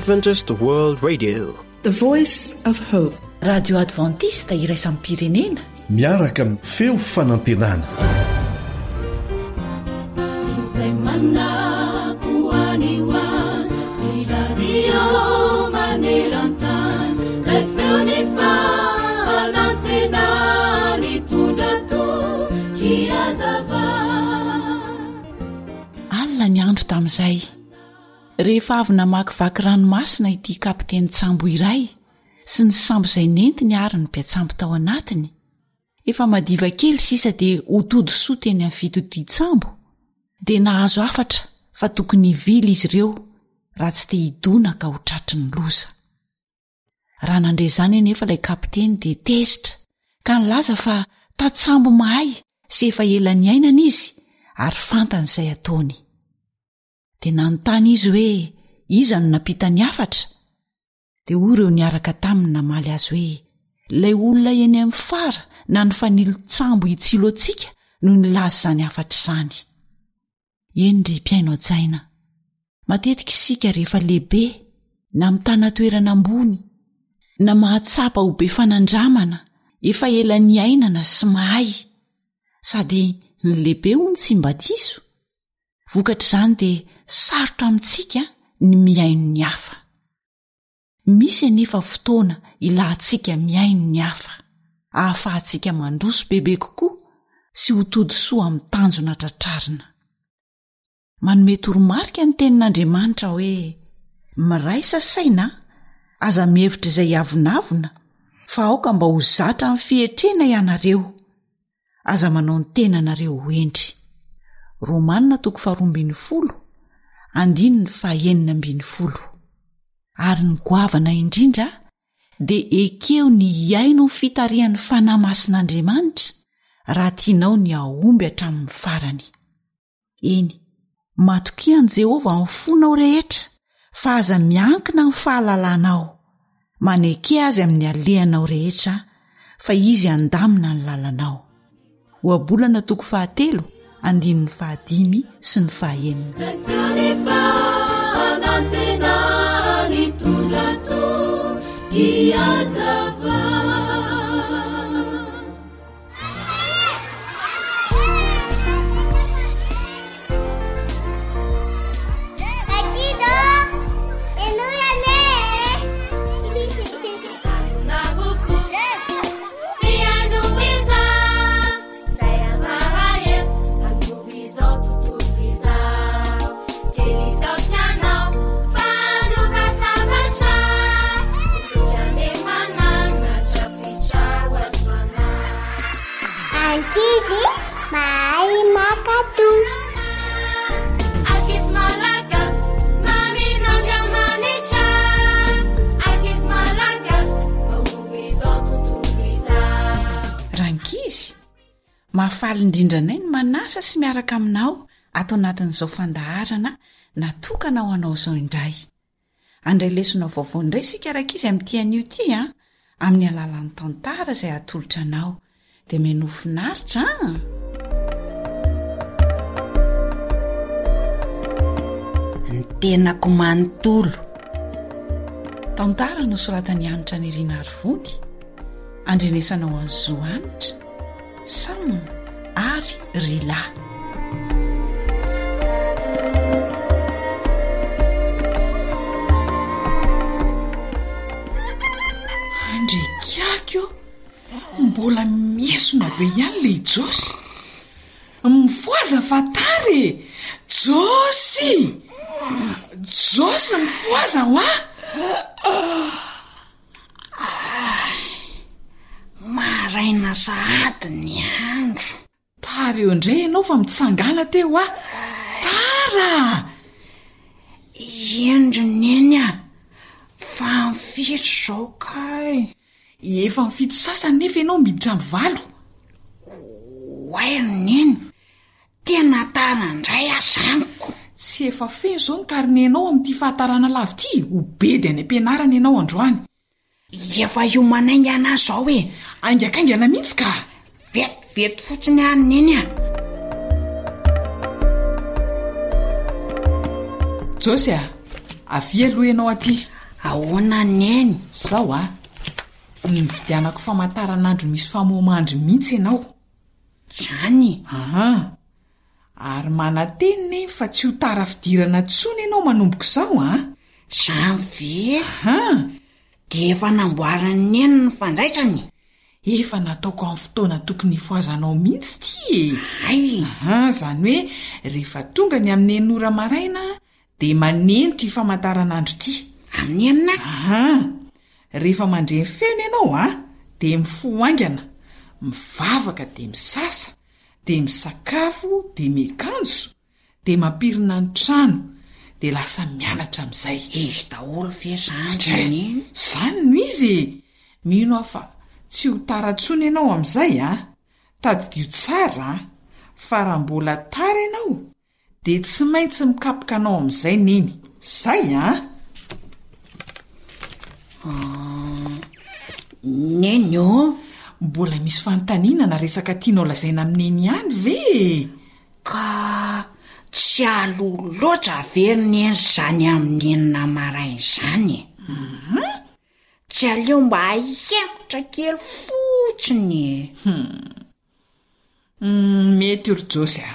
Adventist World Radio. The Voice of Hope. Radio Adventiste iraisam-pirenena. Miaraka amin'ny feo fanantenana. Izay manako any ho any, ny radio maneran-tany, ilay feo ny fanantenana nitondra toky hazava. Alina ny andro tamin'izay. Rehefa avy namakivaky ranomasina ity kapitenin-tsambo iray sy ny sambo izay nentiny ary ny mpiatsambo tao anatiny, efa madiva kely sisa dia ho tody soa teny amin'ny fitodian-tsambo, dia nahazo hafatra fa tokony hivily izy ireo raha tsy te hidona ka ho tratry ny loza. Raha nandre izany anefa ilay kapiteny dia tezitra ka nilaza fa tantsambo mahay sy efa ela niainana izy ary fantany izay ataony. Dia nanontany izy hoe iza no nampita ny hafatra? Dia hoy ireo niaraka taminy namaly azy hoe ilay olona eny amin'ny fara na ny fanilon-tsambo hitsilo antsika no nilaza izany hafatra izany. Eny ry mpihaino hajaina, matetika isika rehefa lehibe na mitana toerana ambony na mahatsapa ho be fanandramana efa ela niainana sy mahay, sady ny lehibe hono tsy mba diso, Vokatr'izany dia sarotra amintsika ny mihaino ny hafa. Misy anefa fotoana ilantsika mihaino ny hafa, ahafahantsika mandroso bebe kokoa sy ho tody soa amin'ny tanjona tratrarina. Manome toromarika ny Tenin'Andriamanitra hoe, Miraisa saina, aza mihevitra izay hiavonavona, fa aoka mba ho zatra amin'ny fietrena ianareo. Aza manao ny tenanareo ho hendry. Romana toko faharoa ambin'ny folo, andininy fahenina ambin'ny folo. Ary ny goavana indrindra dia ekeo ny hihaino ny fitarihan'ny Fanahy Masin'Andriamanitra raha tianao ny hahomby hatramin'ny farany. Eny, matokia an'i Jehovah amin'ny fonao rehetra, fa aza miankina amin'ny fahalalanao. Maneke azy amin'ny alehanao rehetra, fa izy handamina ny lalanao. Ohabolana toko fahatelo, andininy fahadimy sy ny fahenina. Ankizy mahay mankatò. Ankizy malagasy, mamin'Andriamanitra. Ankizy malagasy, mahomby izao tontolo izao. Rankizy, mahafaly indrindra anay ny manasa sy miaraka aminao ato anatin'izao fandaharana natokana ho anao izao indray. Handray lesona vaovao indray isika rankizy amin'ity anio ity an, amin'ny alalan'ny tantara izay atolotra anao. Dia menoa finaritra an! Ny tenako manontolo. Tantara nosoratan'i Hanitra Nirina Arivony, andrenesanao an'i Zo Hanitra. Sam ary Rila. Andriakiaky ô! Mbola miesona be ihany le i Josy. Mifohaza fa tara e! Josy! Josy mifohaza hoa! Ay, maraina sahady ny andro. Tara eo indray ianao fa mitsangàna teo hoa. Tara! Eny ry Neny a, fa amin'ny firy izao kay? Efa amin'ny fito sasany nefa ianao miditra amin'ny valo. Oay ry Neny, Tena tara indray aho zany ko! Tsy efa feno izao ny karnenao amin'ity fahatarana lava ity? Ho bedy any am-pianarana ianao androany. Efa hiomana haingana aho izao e! Haingakaingana mihitsy ka! Vetivety fotsiny ary Neny a! Josy a! Avia aloha ianao aty. Ahoana Neny? Zao a! Nividianako famantaranandro misy famohamandry mihitsy ianao. Zany? Aa! Ary manantena Neny fa tsy ho tara fidirana intsony ianao manomboka izao a! Zany ve? Aa! Dia efa namboarin'i Neny ny fanjaitrany? Efa nataoko amin'ny fotoana tokony hifohazanao mihitsy ity e! Hay! Aa, izany hoe rehefa tonga ny amin'ny enina ora maraina dia maneno ity famantaranandro ity. Amin'ny enina? Aa! Rehefa mandre ny feony ianao an, dia mifoha haingana, mivavaka dia misasa, dia misakafo dia miakanjo, dia mampirina ny trano, dia lasa mianatra amin'izay. Izy daholo ve izany ry Neny? Izany no izy e! Mino aho fa tsy ho tara intsony ianao amin'izay an! Tadidio tsara an, fa raha mbola tara ianao Dia tsy maintsy mikapoka anao amin'izay Neny. Zay an! Neny ô! Mbola misy fanontaniana na resaka tianao lazaina amin'i Neny ihany ve e? Ka tsy aloha loatra ve ry Neny izany amin'ny enina maraina izany e? Tsy aleo mba ahemotra kely fotsiny e? Hum, mety io ry Josy a!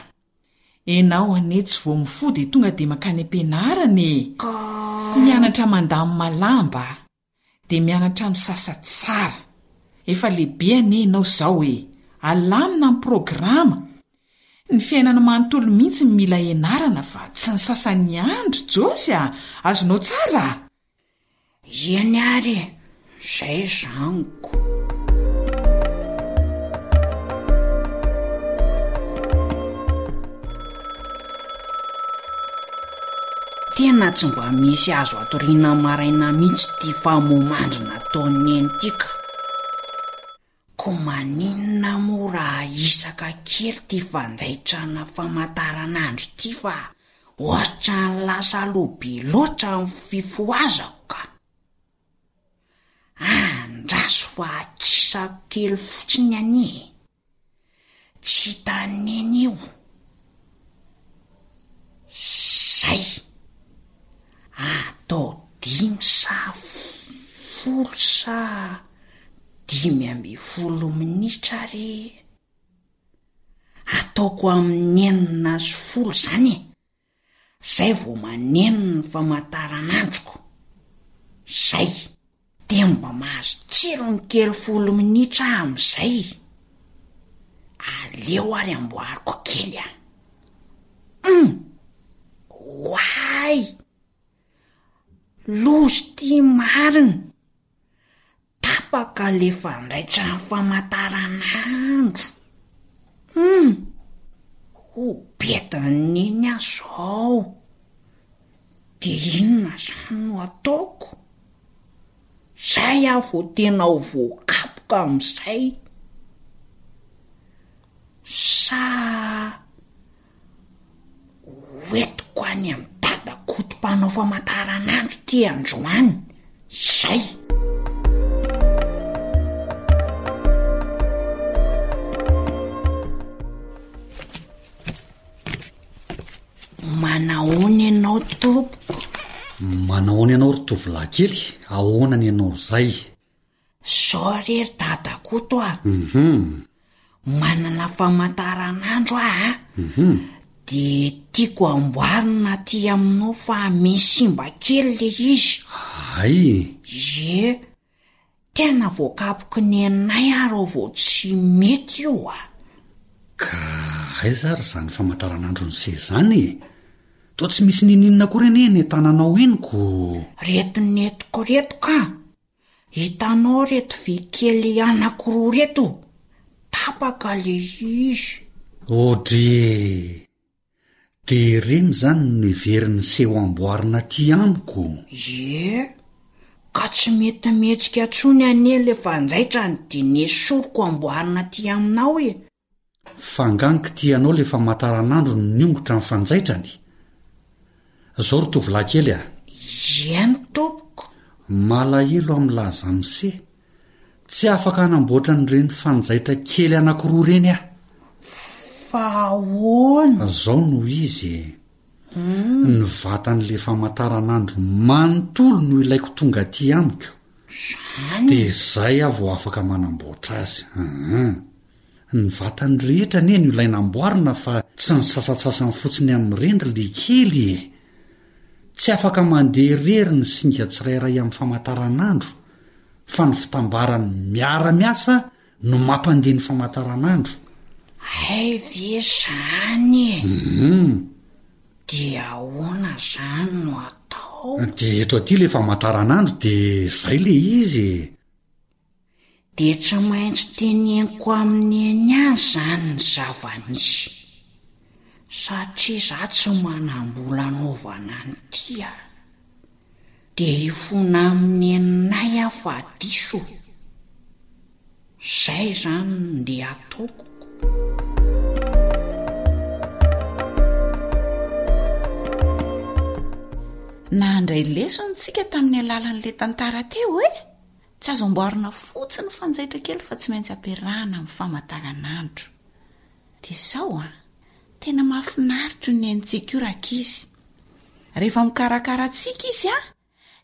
Enao anie tsy vao mifoha dia tonga dia mankany am-pianarana e! Ka. Mianatra mandamina lamba, dia mianatra misasa tsara. Efa lehibe anie enao izao e! Alamina ny programa. Ny fiainana manontolo mihitsy no mila ianarana fa tsy ny sasany ihany ry Josy a! Azonao tsara? Eny ary e, zay zaniko. Tena tsy mba misy azo atoriana maraina mihitsy ity famoha-mandry nataon'i Neny ity ka. Ko maninona moa raha ahisaka kely ity fanjaitrana famataranandro ity fa ohatran'ny lasa aloha be loatra ny fifohazako ka. Andraso fa akisako kely fotsiny anie e. Tsy hitan'i Neny io. Zay. Atao dimy sa folo sa 15 minitra re. Ataoko amin'ny 6 sy zany e. Zay vao maneno ny famantaranandroko. Zay. Dia mba mahazo tsirony kely folo minitra aho amin'izay. Aleo ary amboariko kely a. Hum! Oay! Loza ity marina! Tapaka le fandraitran'ny famataranandro. Hum! Ho betin'i Neny aho zao. De inona zany no ataoko? Zay aho vao tena ho voakapoka amin'izay. Sa Hoentiko any amin'i Dada Koto mpanao famantaranandro ity androany. Zay! Manahoana ianao tompoko? Manahoana ianao ry tovolahy kely? Ahoana ny anao izay? Zao re ry Dada Koto a! Manana famantaranandro aho a! De tiako amboarina aty aminao fa misy simba kely le izy. Hay! Ie, tena voakapoky neninay aho raha vao tsy mety io a! Ka aiza ary izany famantaranandron'i se izany e? Toa tsy misy ninininona akory anie eny an-tananao eny ko! Reto nentiko reto ka! Hitanao reto vy kely anakiroa reto? Tapaka le izy. Audrey e! De ireny izany no heverin'ny seho amboarina aty amiko? Ie, ka tsy mety mihetsika intsony anie le fanjaitrany de nesoriko amboarina aty aminao e! Fa angaha nikitihanao le famataranandro no niongotra ny fanjaitrany? Zao ry tovolahy kely a! Eny tompoko. Malahelo aho milaza amse, tsy afaka hanamboatra an'ireny fanjaitra kely anakiroa ireny aho. Fa ahoana? Zao no izy e! Ny vatan'le famataranandro manontolo no ilaiko tonga aty amiko. Zany? Dia zay aho vao afaka manamboatra azy. Hum. Ny vatany rehetra anie no ilaina amboarina fa tsy ny sasantsasany fotsiny amin'ireny ry lekely e! Tsy afaka mandeha irery ny singa tsirairay amin'ny famataranandro fa ny fitambarany miara-miasa no mampandeha ny famataranandro. Hay ve zany e! Hum. Dia ahoana zany no atao? Dia eto aty le famataranandro dia zay le izy e! Dia tsy maintsy teneniko amin'i Neny ihany izany ny zava-nisy, satria izaho tsy manam-bola hanaovana an'ity a! Dia hifona amin'i Neninay aho fa diso. Izay izany no ndeha hataoko. Nandray lesona isika tamin'ny alalan'ilay tantara teo e! Tsy azo amboarina fotsiny ny fanjaitra kely fa tsy maintsy ampiarahana amin'ny famataranandro. Dia izao an, tena mahafinaritra io nenintsika io rankizy. Rehefa mikarakara antsika izy an,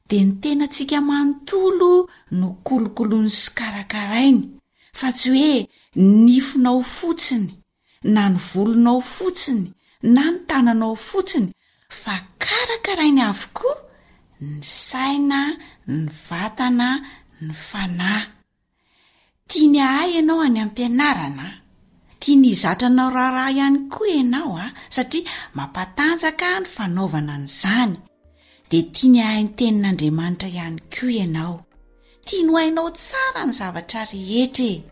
dia ny tenantsika manontolo no kolokoloiny sy karakarainy, fa tsy hoe ny nifinao fotsiny na ny volonao fotsiny na ny tananao fotsiny fa karakarainy avokoa ny saina, ny vatana, ny fanahy. Tiany hahay ianao any am-pianarana, tiany hizatra anao raharaha ihany koa ianao satria mampatanjaka ny fanaovana an'izany, dia tiany hahay ny tenin'Andriamanitra ihany koa ianao. Tiany ho hainao tsara ny zavatra rehetra e!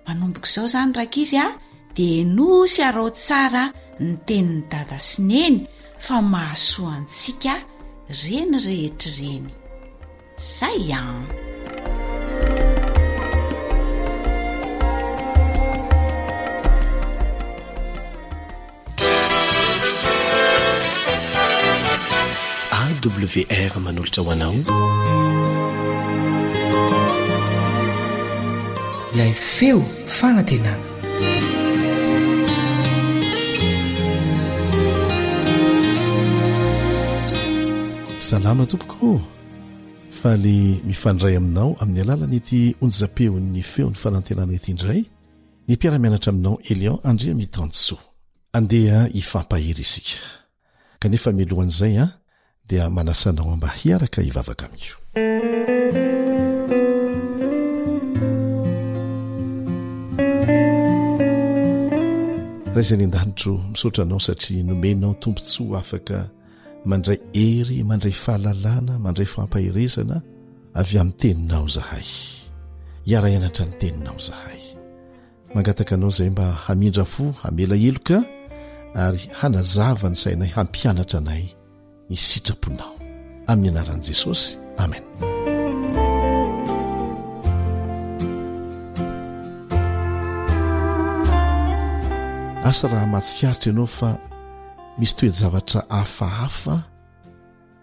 Manomboka izao izany rankizy a, dia henoy sy araho tsara ny tenin'i Dada sy Neny fa mahasoa antsika ireny rehetra ireny. Zay an! AWR manolotra ho anao Ilay feo fanantenana. Salama tompoko ô! Faly mifandray aminao amin'ny alalan'ity onjam-peon'ny feon'ny fanantenana ity indray ny mpiara-mianatra aminao Elion Andriamitansoa. Andeha hifampahery isika. Kanefa mialohan'izay an, dia manasa anao mba hiaraka hivavaka amiko. Ray izay any an-danitro, misaotra anao satria nomenao tombontsoa afaka mandray hery, mandray fahalalana, mandray fampaherezana avy amin'ny teninao izahay. Hiara-hianatra ny teninao izahay. Mangataka anao izay mba hamindra fo, hamela heloka ary hanazava ny sainay hampianatra anay ny sitraponao. Amin'ny anaran'i Jesosy. Amen. Asa raha mahatsikaritra ianao fa misy toe-javatra hafahafa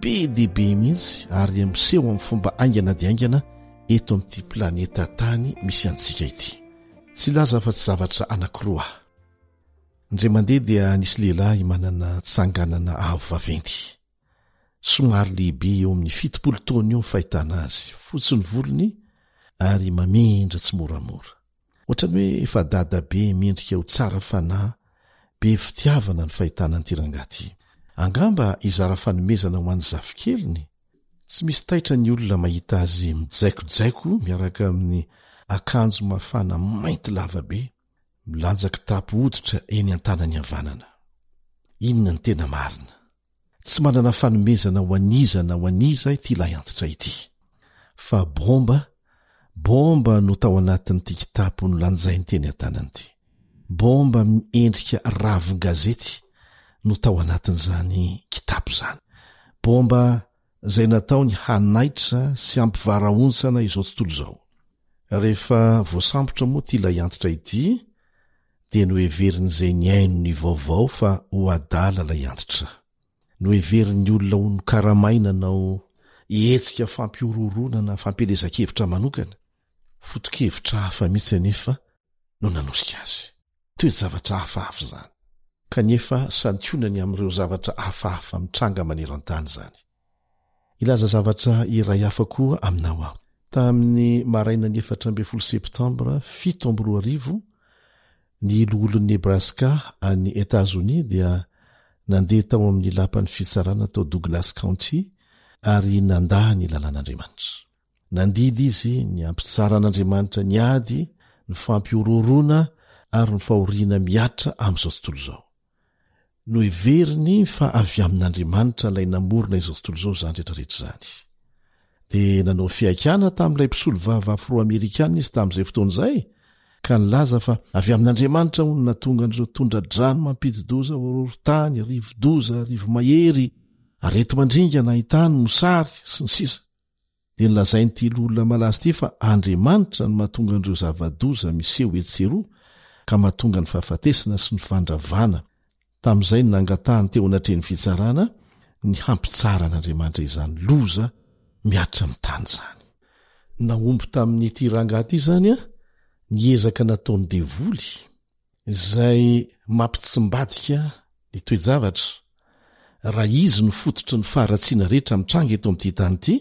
be dia be mihitsy ary miseho amin'ny fomba haingana dia haingana eto amin'ity planeta tany misy antsika ity. Tsy hilaza afa-tsy zavatra anankiroa aho. Indray mandeha dia nisy lehilahy manana tsanganana avo vaventy. Somary lehibe eo amin'ny 70 taona eo ny fahitana azy, fotsy ny volony ary mamindra tsimoramora. Ohatran'ny hoe efa dadabe mendrika ho tsara fanahy, be fitiavana ny fahitana an'ity rangahy ity. Angamba hizara fanomezana ho an'ny zafikeliny? Tsy misy taitra ny olona mahita azy mijaikojaiko miaraka amin'ny akanjo mafana mainty lava be, milanja kitapo hoditra eny an-tanany havanana. Inona no tena marina? Tsy manana fanomezana ho an'iza na ho an'iza ity lahiantitra ity. Fa bomba, bomba no tao anatin'ity kitapo nolanjainy teny an-tanany ity. Bomba miendrika ravin-gazety no tao anatin'izany kitapo izany. Bomba izay nataony hanaitra sy hampivarahontsana izao tontolo izao. Rehefa voasambotra moa ity lahiantitra ity dia noheverin'izay nihaino ny vaovao fa ho adala ilay antitra. Noheverin'ny olona ho nokaramaina hanao hetsika fampihorohoroana na fampielezan-kevitra manokana. Foto-kevitra hafa mihitsy anefa no nanosika azy. Toe-javatra hafahafa izany. Kanefa santionany amin'ireo zavatra hafahafa mitranga maneran-tany izany. Hilaza zavatra iray hafa koa aminao aho. Tamin'ny marainan'ny 14 septambra 2007, ny loholon'i Nebraska any Etazonia dia nandeha tao amin'ny lapan'ny fitsarana tao Douglas County ary nandà ny lalàn'Andriamanitra. Nandidy izy ny hampitsaran'Andriamanitra ny ady, ny fampihorohoroana ary ny fahoriana mihatra amin'izao tontolo izao. Noheveriny fa avy amin'Andriamanitra ilay namorona izao tontolo izao izany rehetrarehetra izany. Dia nanao fihaikana tamin'ilay mpisolovava afro-amerikana izy tamin'izay fotoana izay, ka nilaza fa avy amin'Andriamanitra hono nahatonga an'ireo tondra-drano mampidi-doza, horohorontany, rivo-doza, rivo-mahery, areti-mandringana, haintany, mosary, sy ny sisa. Dia nolazain'ity loholona malaza ity fa Andriamanitra no mahatonga an'ireo zava-doza miseho etsy sy eroa ka mahatonga ny fahafatesana sy ny fandravana. Tamin'izay no nangatahany teo anatrehan'ny fitsarana ny hampitsaran'Andriamanitra izany loza mihatra amin'ny tany izany. Nahomby tamin'ity rangahy ity izany ny ezaka nataon'ny devoly izay mampitsimbadika ny toe-javatra, raha izy no fototry ny faharatsiana rehetra mitranga eto amin'ity tany ity,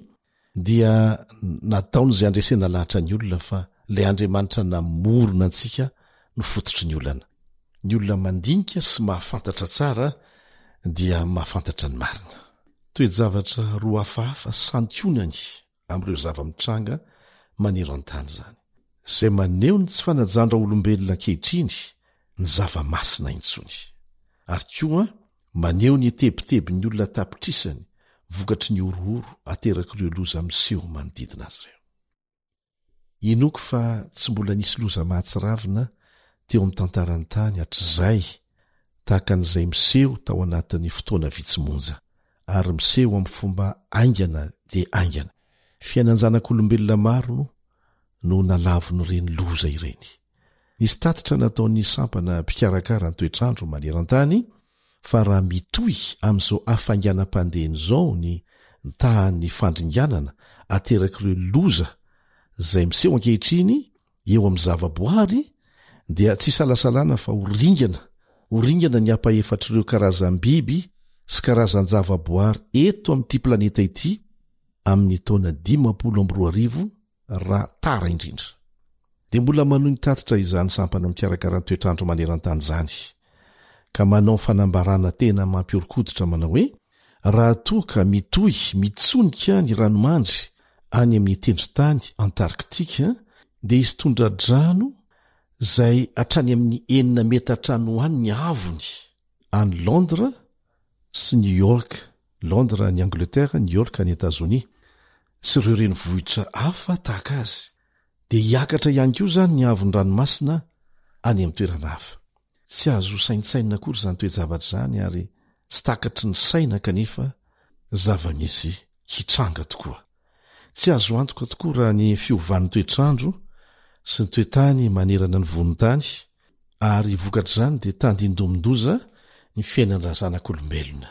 dia nataony izay handresena lahatra ny olona fa ilay Andriamanitra namorona antsika no fototry ny olana. Ny olona mandinika sy mahafantatra tsara dia mahafantatra ny marina. Toe-javatra roa hafahafa santionany amin'ireo zava-mitranga maneran-tany izany, izay maneho ny tsy fanajan-draolombelona ankehitriny ny zava-masina intsony, ary koa maneho ny tebitebin'ny olona an-tapitrisany vokatry ny horohoro aterak'ireo loza miseho manodidina azy ireo. Inoako fa tsy mbola nisy loza mahatsiravina teo amin'ny tantaran'ny tany hatrizay tahaka an'izay miseho tao anatin'ny fotoana vitsy monja, ary miseho amin'ny fomba haingana dia haingana. Fiainan-janak'olombelona maro no nalavon'ireny loza ireny. Nisy tatitra nataon'ny sampana mpikarakara ny toetr'andro maneran-tany fa raha mitohy amin'izao hafainganam-pandehany izao ny tahan'ny fandringanana aterak'ireo loza izay miseho ankehitriny eo amin'ny zavaboary dia tsy isalasalana fa ho ringana ho ringana ny ampahefatr'ireo karazam-biby sy karazan-javaboary eto amin'ity planeta ity amin'ny taona 2050 raha tara indrindra. Dia mbola manohy mitatitra izany sampana mikarakara ny toetr'andro maneran-tany izany, ka manao fanambarana tena mampihoron-koditra manao hoe, Raha toa ka mitohy mitsonika ny ranomandry any amin'ny tendrontany Antarktika, dia hisy tondra-drano izay hatrany amin'ny enina metatra any ho any ny haavony any Londres sy New York, Londres any Angleterre, New York any Etazonia, sy ireo renivohitra hafa tahaka azy, dia hiakatra ihany koa izany ny haavon'ny ranomasina any amin'ny toerana hafa. Tsy azo saintsainina akory izany toe-javatra izany ary tsy takatry ny saina kanefa zava-misy hitranga tokoa. Tsy azo antoka tokoa raha ny fiovan'ny toetr'andro sy ny toetany manerana ny vohon-tany ary vokatr'izany dia tandindomin-doza ny fiainan-drazanak'olombelona.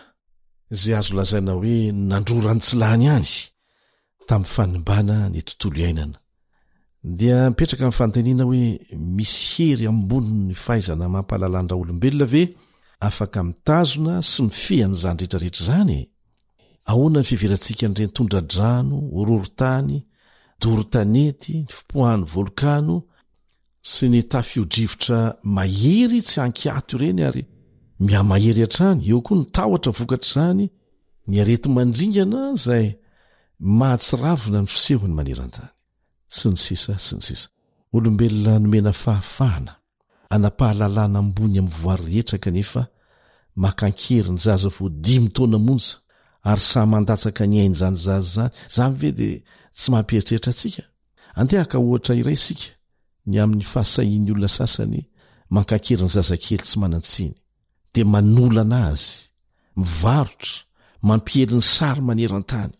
Izay azo lazaina hoe nandrora ny tsy lany ihany tamin'ny fanimbana ny tontolo iainana. Dia mipetraka ny fanontaniana hoe misy hery ambonin'ny fahaizana amam-pahalalan-draolombelona ve afaka mitazona sy mifehy an'izany rehetrarehetra izany e? Ahoana ny fiheverantsika an'ireny tondra-drano, horohorontany, doro tanety, ny fipoahan'ny volkano, sy ny tafio-drivotra mahery tsy ankiato ireny ary mihamahery hatrany, eo koa ny tahotra vokatr'izany, ny areti-mandringana izay mahatsiravina ny fisehony maneran-tany, sy ny sisa sy ny sisa. Olombelona nomena fahafahana hanam-pahalalana ambony amin'ny voary rehetra kanefa maka an-kery ny zaza vao dimy taona monja ary sahy mandatsaka ny ain'izany zaza izany, izany ve dia tsy mampieritreritra antsika? Andeha haka ohatra iray isika ny amin'ny fahasahian'ny olona sasany mankakery ny zazakely tsy manan-tsiny, dia manolana azy, mivarotra, mampiely ny sary maneran-tany.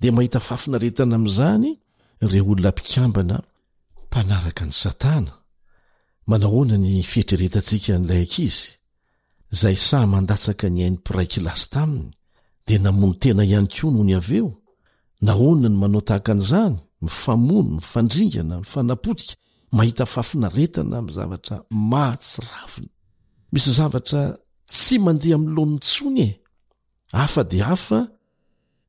Dia mahita fahafinaretana amin'izany ireo olona mpikambana mpanaraka an'i Satana. Manahoana ny fieritreretantsika an'ilay ankizy? Izay sahy mandatsaka ny ain'ny mpiray kilasy taminy dia namono tena ihany koa nony avy eo. Nahoana no manao tahaka an'izany? Mifamono, mifandringana, mifanapotika, mahita fahafinaretana amin'ny zavatra mahatsiravina. Misy zavatra. Tsy mandeha amin'ny laoniny intsony e! Hafa dia hafa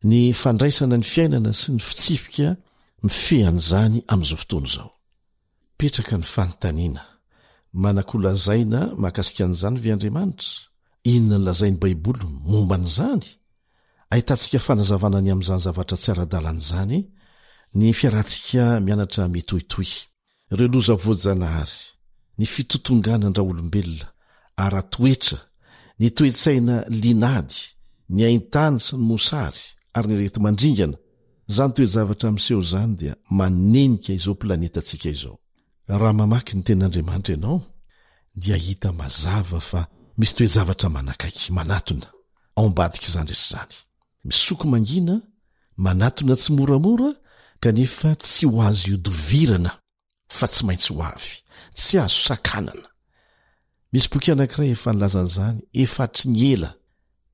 ny fandraisana ny fiainana sy ny fitsipika mifehy an'izany amin'izao fotoana izao. Mipetraka ny fanontaniana, Manan-kolazaina mahakasika an'izany ve Andriamanitra? Inona no lazain'ny Baiboly momba an'izany? Ahitantsika fanazavana ny amin'izany zavatra tsy ara-dalàna izany ny fiarahantsika mianatra mitohitohy. Ireo loza voajanahary, ny fitotonganan-draolombelona ara-toetra, ny toe-tsaina liana-ady, ny haintany sy ny mosary ary ny areti-mandringana, Izany toe-javatra miseho izany dia manenika izao planetantsika izao. Raha mamaky ny Tenin'Andriamanitra ianao, dia hahita mazava fa misy toe-javatra manakaiky, manatona, ao ambadik'izany rehetra izany. Misoko mangina, manatona tsimoramora, kanefa tsy ho azo ihodivirana. fa tsy maintsy ho avy, tsy azo sakanana. Misy boky anankiray efa nilaza an'izany efa hatry ny ela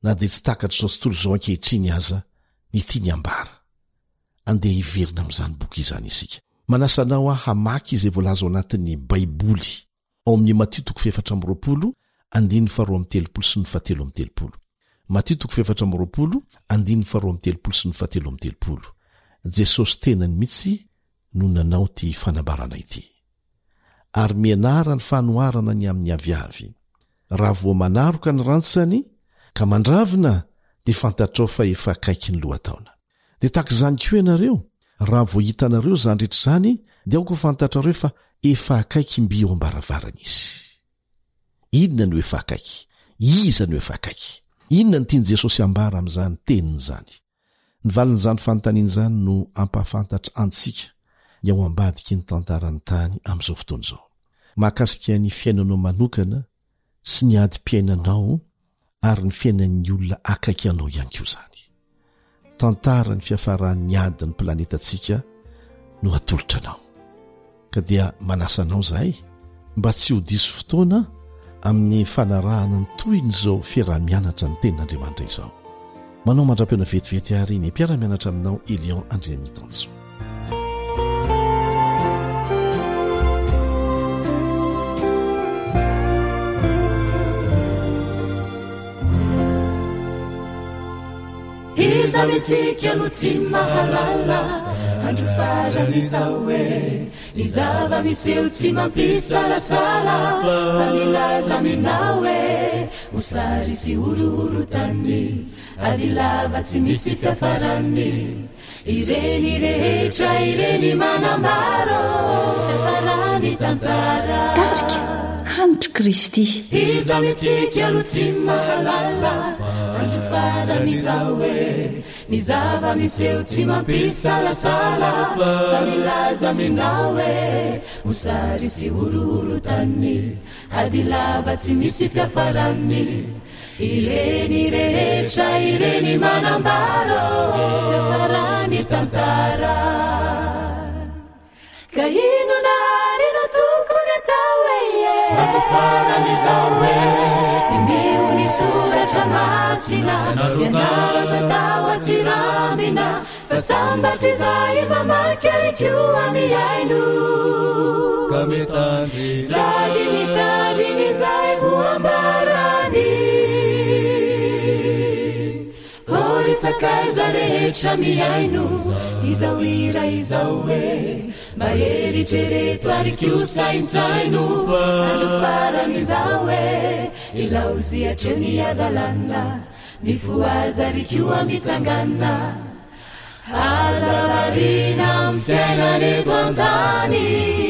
na dia tsy takatr'izao tontolo izao ankehitriny aza ny tiany hambara. Andeha hiverina amin'izany boky izany isika. Manasa anao aho hamaky izay voalaza ao anatin'ny Baiboly. ao amin'ny Matio toko faha-24, andininy faharoa amby telopolo sy ny fahatelo amby telopolo. Matio toko faha-24, andininy faharoa amby telopolo sy ny fahatelo amby telopolo. Jesosy tenany mihitsy no nanao ity fanambarana ity. Ary mianara ny fanoharana ny amin'ny aviavy. Raha voa manaroka ny rantsany ka mandravina, dia fantatrao fa efa akaiky ny lohataona. Dia tahaka izany koa ianareo, raha vao hitanareo izany rehetra izany, dia aoka ho fantatrareo fa efa akaiky mby eo am-baravarana izy. Inona no efa akaiky? Iza no efa akaiky? Inona no tian'i Jesosy hambara amin'izany teniny izany? Ny valin'izany fanontaniana izany no hampahafantatra antsika ny ao ambadiky ny tantaran'ny tany amin'izao fotoana izao. Mahakasika ny fiainanao manokana sy ny adim-piainanao ary ny fiainan'ny olona akaiky anao ihany koa izany. Tantara ny fiafaran'ny adin'ny planetantsika no atolotra anao. Ka dia manasa anao izahay mba tsy ho diso fotoana amin'ny fanarahana ny tohin'izao fiaraha-mianatra ny tenin'Andriamanitra izao. Manao mandra-pihaona vetivety àry ny mpiara-mianatra aminao Elion Andriamitanjo. Iza amintsika no tsy mahalala andro farany izao e Ny zava-miseho tsy mampisalasala fa milaza aminao e Mosary sy horohorontany, ady lava tsy misy fiafarany Ireny rehetra ireny manambara ô fiafaran'ny tantara. Tarika, Hanitr'i Kristy. Iza amintsika no tsy mahalala andro farany izao e Ny zava-miseho tsy mampisalasala fa milaza aminao e Mosary sy horohorontany, ady lava tsy misy fiafarany Ireny rehetra ireny manambara ô fiafaran'ny tantara Ka inona ary no tokony atao e e Andro farany izao e Diniho ny soratra masina Ianaro aza atao atsirambina Fa sambatra izahay mamaky ary koa mihaino Ka mitandrina Sady mitandrina izay ho ambarany Ô ry sakaiza rehetra mihaino izao hira izao e Mba eritrereto ary koa saintsaino Andro farany izao e Ilaozy hatreo ny hadalana Mifohaza ary koa mitsangana Aza variana amin'ny fiainana eto an-tany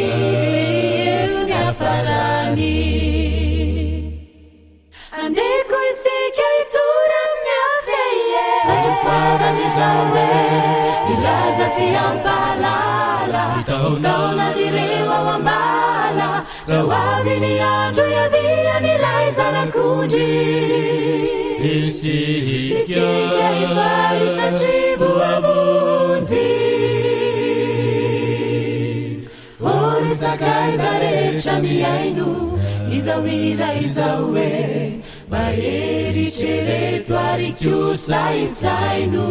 Eo ny hafarany Andeha koa isika hitory amin'ny hafa e Andro farany izao e Hilaza sy hampahalala Hitaona azy ireo ao am-bala Ka ho avy ny andro hiavian'ilay Zanak'ondry. Isika hifaly satria voavonjy. O ry sakaiza rehetra mihaino izao hira izao e, mba eritrereto ary koa saintsaino.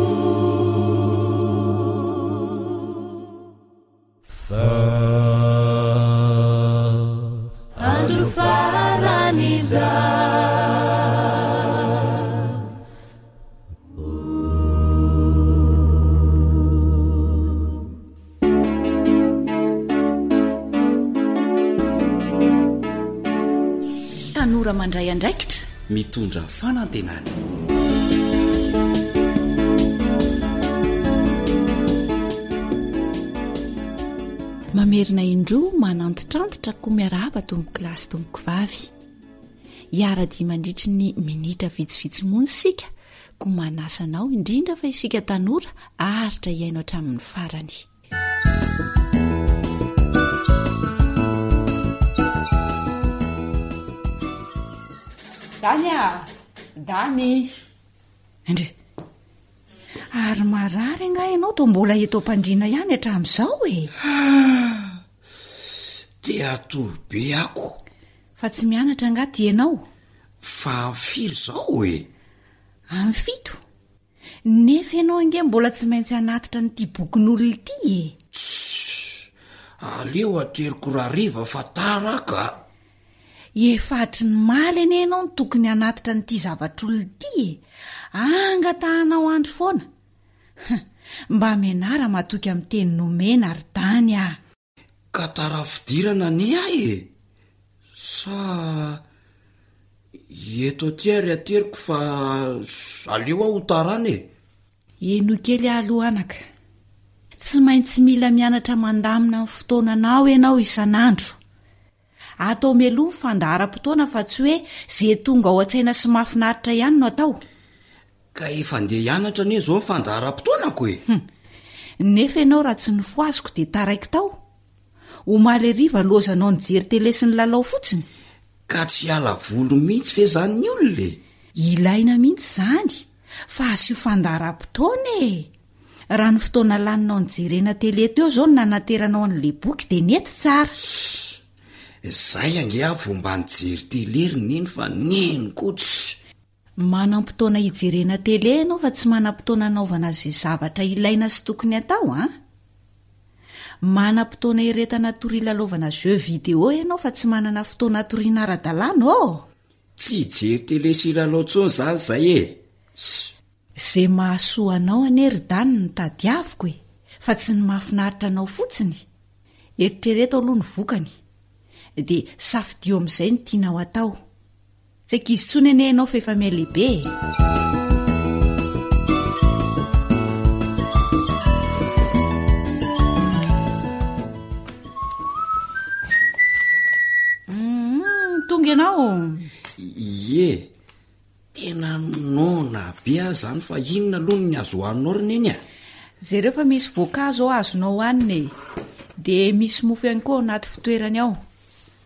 Fa andro farany izao. Tanora mandray andraikitra. Mitondra fanantenana. Mamerina indroa manantitrantitra koa miarahaba tompoko lahy sy tompoko vavy. Hiara-dia mandritry ny minitra vitsivitsy monja isika koa manasa anao indrindra fa isika tanora haharitra hihaino hatramin'ny farany. Dany a! Dany! Andre! Ary marary angaha ianao toa mbola eto am-pandriana ihany hatramin'izao e? Te hatory be ako. Fa tsy mianatra angaha ty ianao? Fa amin'ny firy izao e? Amin'ny fito. Nefa ianao ange mbola tsy maintsy hanatitra an'ity bokin'olona ity e! Tssy! Aleo ateriko rahariva fa tara aho ka! Efa hatry ny maly anie ianao no tokony hanatitra an'ity zavatr'olona ity e! Angatahanao andro foana! Hum! Mba mianara matoky amin'ny teny nomena ry Dany a! Ka tara fidirana anie ahy e! Sa eto aty ary ateriko fa aleo aho ho tarana e! Henoy kely aho aloha anaka. Tsy maintsy mila mianatra mandamina ny fotoananao ianao isan'andro. Atao mialoha ny fandaharam-potoana fa tsy hoe ze tonga ao an-tsaina sy mahafinaritra ihany no atao. Ka efa andeha hianatra anie izao ny fandaharam-potoanako e! Hum. Nefa ianao raha tsy nofohaziko dia taraiky tao. Omaly hariva lozanao nijery tele sy nilalao fotsiny. Ka tsy hiala voly mihitsy ve izany ny olona e? Ilaina mihitsy izany fa asio fandaharam-potoana e! Raha ny fotoana laninao nijerena tele teo izao no nanateranao an'ilay boky dia nety tsara. Ssss! Izay ange aho vao mba nijery tele ry neny fa neny koa tssy! Manam-potoana hijerena tele ianao fa tsy manam-potoana hanaovana izay zavatra ilaina sy tokony hatao an! Manam-potoana hiretana tory hilalaovana jeux vidéo ianao fa tsy manana fotoana hatoriana ara-dalàna ô! Tsy hijery tele sy hilalao intsony izany izay e! Ssss! Ze mahasoa anao anie ry Dany no tadiaviko e, fa tsy ny mahafinaritra anao fotsiny. Eritrereto aloha ny vokany, dia safidio amin'izay ny tianao atao. Tsy ankizy intsony anie ianao fa efa mihalehibe e. Tonga ianao? Ie. Tena noana be aho zany fa inona aloha ny azo hohaninao ry neny a? Jereo fa misy voankazo ao azonao hohanina e! Dia misy mofo ihany koa ao anaty fitoerany ao.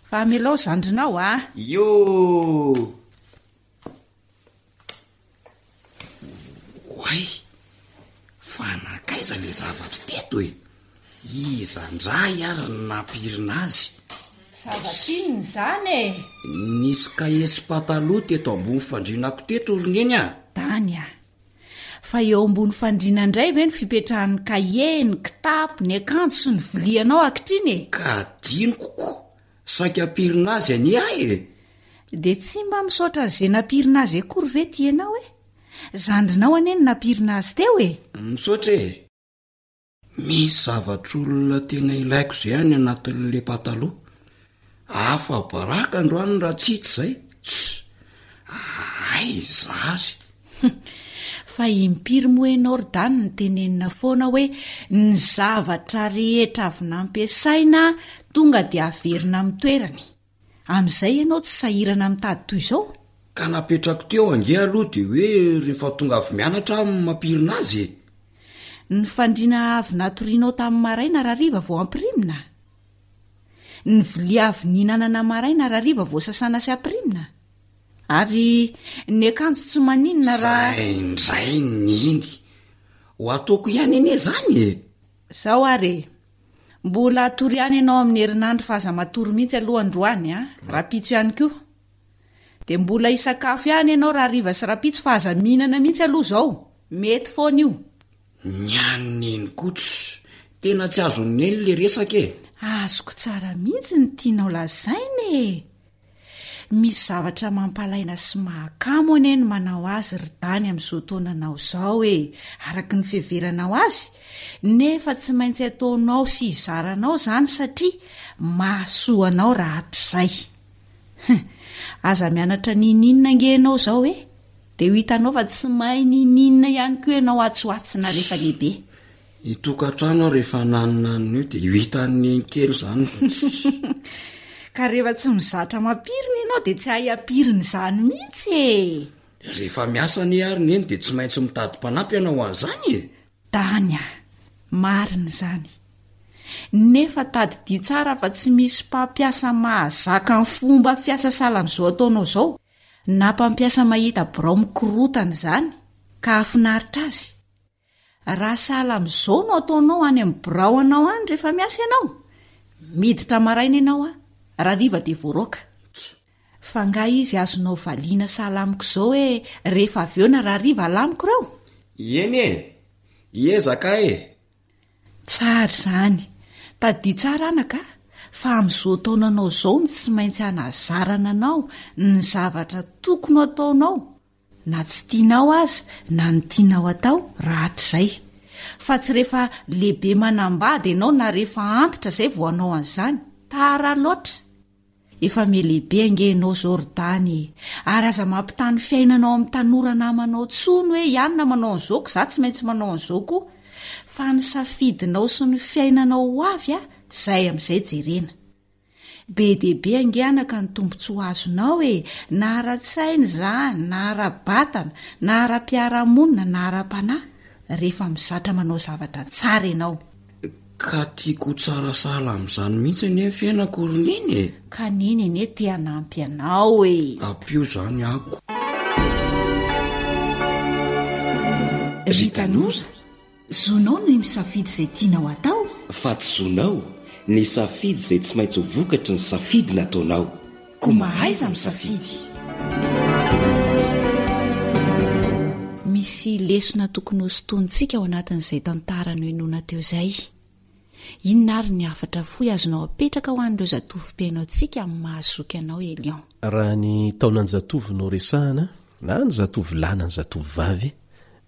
Fa amelao zandrinao a! Ioo! Oay! Fa nankaiza le zavatra teto e? Iza ndray ary no nampirina azy? Zavatra inona izany e? Nisy kahie sy pataloha teto ambony fandrianako teto ry Neny a! Tany a! Fa eo ambony fandriana indray ve ny fipetrahan'ny kahie, ny kitapo, ny akanjo sy ny vilianao ankehitriny e? Ka adinoko ko! Saika hampirina azy anie aho e! Dia tsy mba misaotra an'izay nampirina azy akory ve ty ianao e? Zandrinao anie no nampirina azy teo e! Misaotra e! Misy zavatr'olona tena ilaiko izay any anatin'le pataloha. Afa-baraka androany raha tsy hita izay. Tss! Aiza ary? Fa impiry moa ianao ry Dany no tenenina foana hoe ny zavatra rehetra avy nampiasaina tonga dia averina amin'ny toerany. Amin'izay ianao tsy sahirana mitady toy izao? Ka napetrako teo ange aloha dia hoe rehefa tonga avy mianatra aho no mampirina azy e! Ny fandriana avy natorianao tamin'ny maraina rahariva vao ampirimina? Ny vilia avy nihinanana maraina rahariva vao sasana sy ampirimina? Ary ny akanjo tsy maninona raha. Zay indray neny! Ho ataoko ihany anie izany e! Zao ary e! Mbola hatory ihany ianao amin'ny herinandro fa aza matory mihitsy aloha androany a! Rahampitso ihany koa. Dia mbola hisakafo ihany ianao rahariva sy rahampitso fa aza mihinana mihitsy aloha izao. Mety foana io. Ny an'i Neny koa tss! Tena tsy azon'i Neny le resaka e! Azoko tsara mihitsy ny tianao lazaina e! Misy zavatra mampalaina sy mahakamo anie ny manao azy ry Dany amin'izao taonanao izao e, araka ny fiheveranao azy, nefa tsy maintsy ataonao sy hizaranao izany satria mahasoa anao rahatrizay. Hum, Aza mianatra n'inon'inona ange ianao izao e! Dia ho hitanao fa tsy mahay n'inon'inona ihany koa ianao atsy ho atsy na rehefa lehibe. Hitokantrano aho rehefa naninanina io dia ho hitan'i Neny kely izany fa tsy. Ka rehefa tsy mizatra mampirina ianao dia tsy hahay hampirina izany mihitsy e! Rehefa miasa anie ary Neny dia tsy maintsy mitady mpanampy hanao an'izany e! Dany a! Marina izany. Nefa tadidio tsara fa tsy misy mpampiasa mahazaka ny fomba fiasa sahala amin'izao ataonao izao, na mpampiasa mahita birao mikorotana izany ka hahafinaritra azy. Raha sahala amin'izao no ataonao any amin'ny birao anao any rehefa miasa ianao, miditra maraina ianao a, rahariva dia voaroaka. Fa angaha izy azonao valiana sahala amiko izao hoe rehefa avy eo na rahariva alamiko ireo? Eny e! Hiezaka aho e! Tsara izany. Tadidio tsara anaka fa amin'izao taonanao izao no tsy maintsy hanazarana anao ny zavatra tokony ho ataonao na tsy tianao aza na ny tianao atao rahatrizay. Fa tsy rehefa lehibe manambady ianao na rehefa antitra izay vao hanao an'izany. Tara loatra. Efa mihalehibe ange ianao izao ry Dany e! Ary aza mampitaha ny fiainanao amin'ny tanora namanao intsony hoe i anona manao an'izao ko za tsy maintsy manao an'izao koa. Fa ny safidinao sy ny fiainanao ho avy a, izay amin'izay jerena. Be dia be ange anaka ny tombontsoa azonao e, na ara-tsaina izany, na ara-batana, na ara-piarahamonina, na ara-panahy, rehefa mizatra manao zavatra tsara ianao. Ka tiako ho tsara sahala amin'izany mihitsy anie ny fiainako ry Neny e! Ka Neny anie te hanampy anao e! Ampio izany ako. Ry tanora, zonao ny misafidy izay tianao atao. Fa tsy zonao ny safidy izay tsy maintsy ho vokatry ny safidy nataonao. Koa mahaiza misafidy. Misy lesona tokony hosintonintsika ao anatin'izay tantara nohenoina teo izay. Inona ary ny hafatra fohy azonao apetraka ho an'ireo zatovo mpihaino antsika amin'ny maha zoky anao Elion? Raha ny taonan-jatovo no resahana, na ny zatovo lahy na ny zatovo vavy,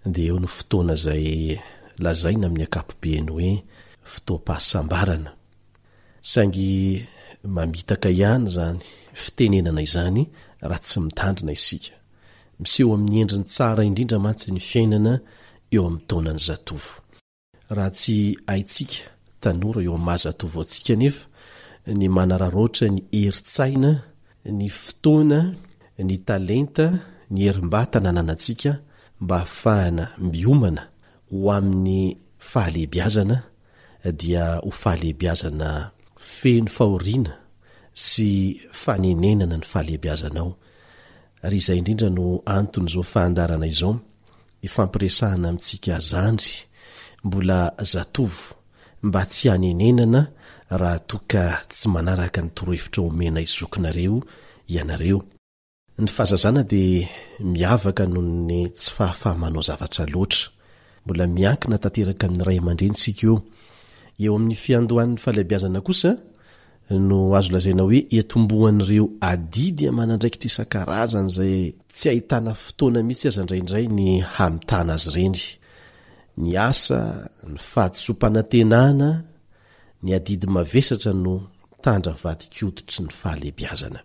dia eo no fotoana izay lazaina amin'ny ankapobeny hoe fotoam-pahasambarana. Saingy mamitaka ihany izany fitenenana izany raha tsy mitandrina isika. Miseho amin'ny endriny tsara indrindra mantsy ny fiainana eo amin'ny taonan'ny zatovo. Raha tsy haintsika tanora eo amin'ny maha zatovo antsika anefa ny manararaotra ny herin-tsaina, ny fotoana, ny talenta, ny herim-batana ananantsika mba hahafahana miomana ho amin'ny fahalehibiazana dia ho fahalehibiazana feno fahoriana sy fanenenana ny fahalehibiazanao. Ary izay indrindra no anton'izao fahandarana izao, ifampiresahana amintsika zandry mbola zatovo mba tsy hanenenana raha toa ka tsy manaraka ny torohevitra omenay zokinareo ianareo. Ny fahazazana dia miavaka noho ny tsy fahafaha-manao zavatra loatra. Mbola miankina tanteraka amin'ny ray aman-dreny isika eo. Eo amin'ny fiandohan'ny fahalehibiazana kosa no azo lazaina hoe iantombohan'ireo adidy aman'andraikitra isan-karazany izay tsy ahitana fotoana mihitsy aza indraindray ny hamitana azy ireny. Ny asa, ny fahadisoam-panantenana, ny adidy mavesatra no tandra vadin-koditry ny fahalehibiazana.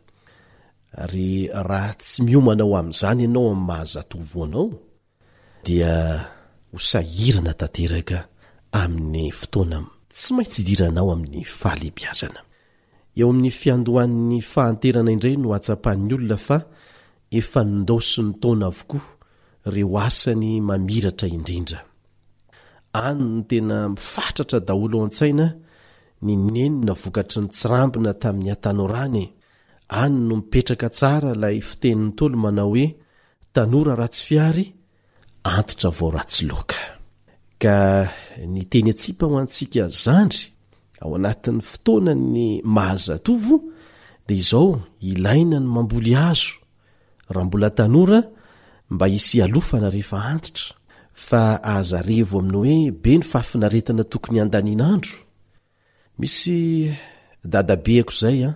Ary raha tsy miomana ho amin'izany ianao amin'ny maha zatovo anao, dia ho sahirana tanteraka amin'ny fotoana tsy maintsy idiranao amin'ny fahalehibiazana. Eo amin'ny fiandohan'ny fahanterana indray no hahatsapan'ny olona fa efa nindaosin'ny taona avokoa ireo asany mamiratra indrindra. Any no tena mifatratra daholo ao an-tsaina ny nenina vokatry ny tsirambina tamin'ny hatanorany e! Any no mipetraka tsara ilay fitenin'ny Ntaolo manao hoe tanora ratsy fihary, antitra vao ratsy laoka. Ka ny teny atsipa ho antsika zandry ao anatin'ny fotoanan'ny maha zatovo dia izao, ilaina ny mamboly hazo raha mbola tanora mba hisy hialofana rehefa antitra, fa aza revo amin'ny hoe be ny fahafinaretana tokony handaniana andro. Misy dadabeako izay an,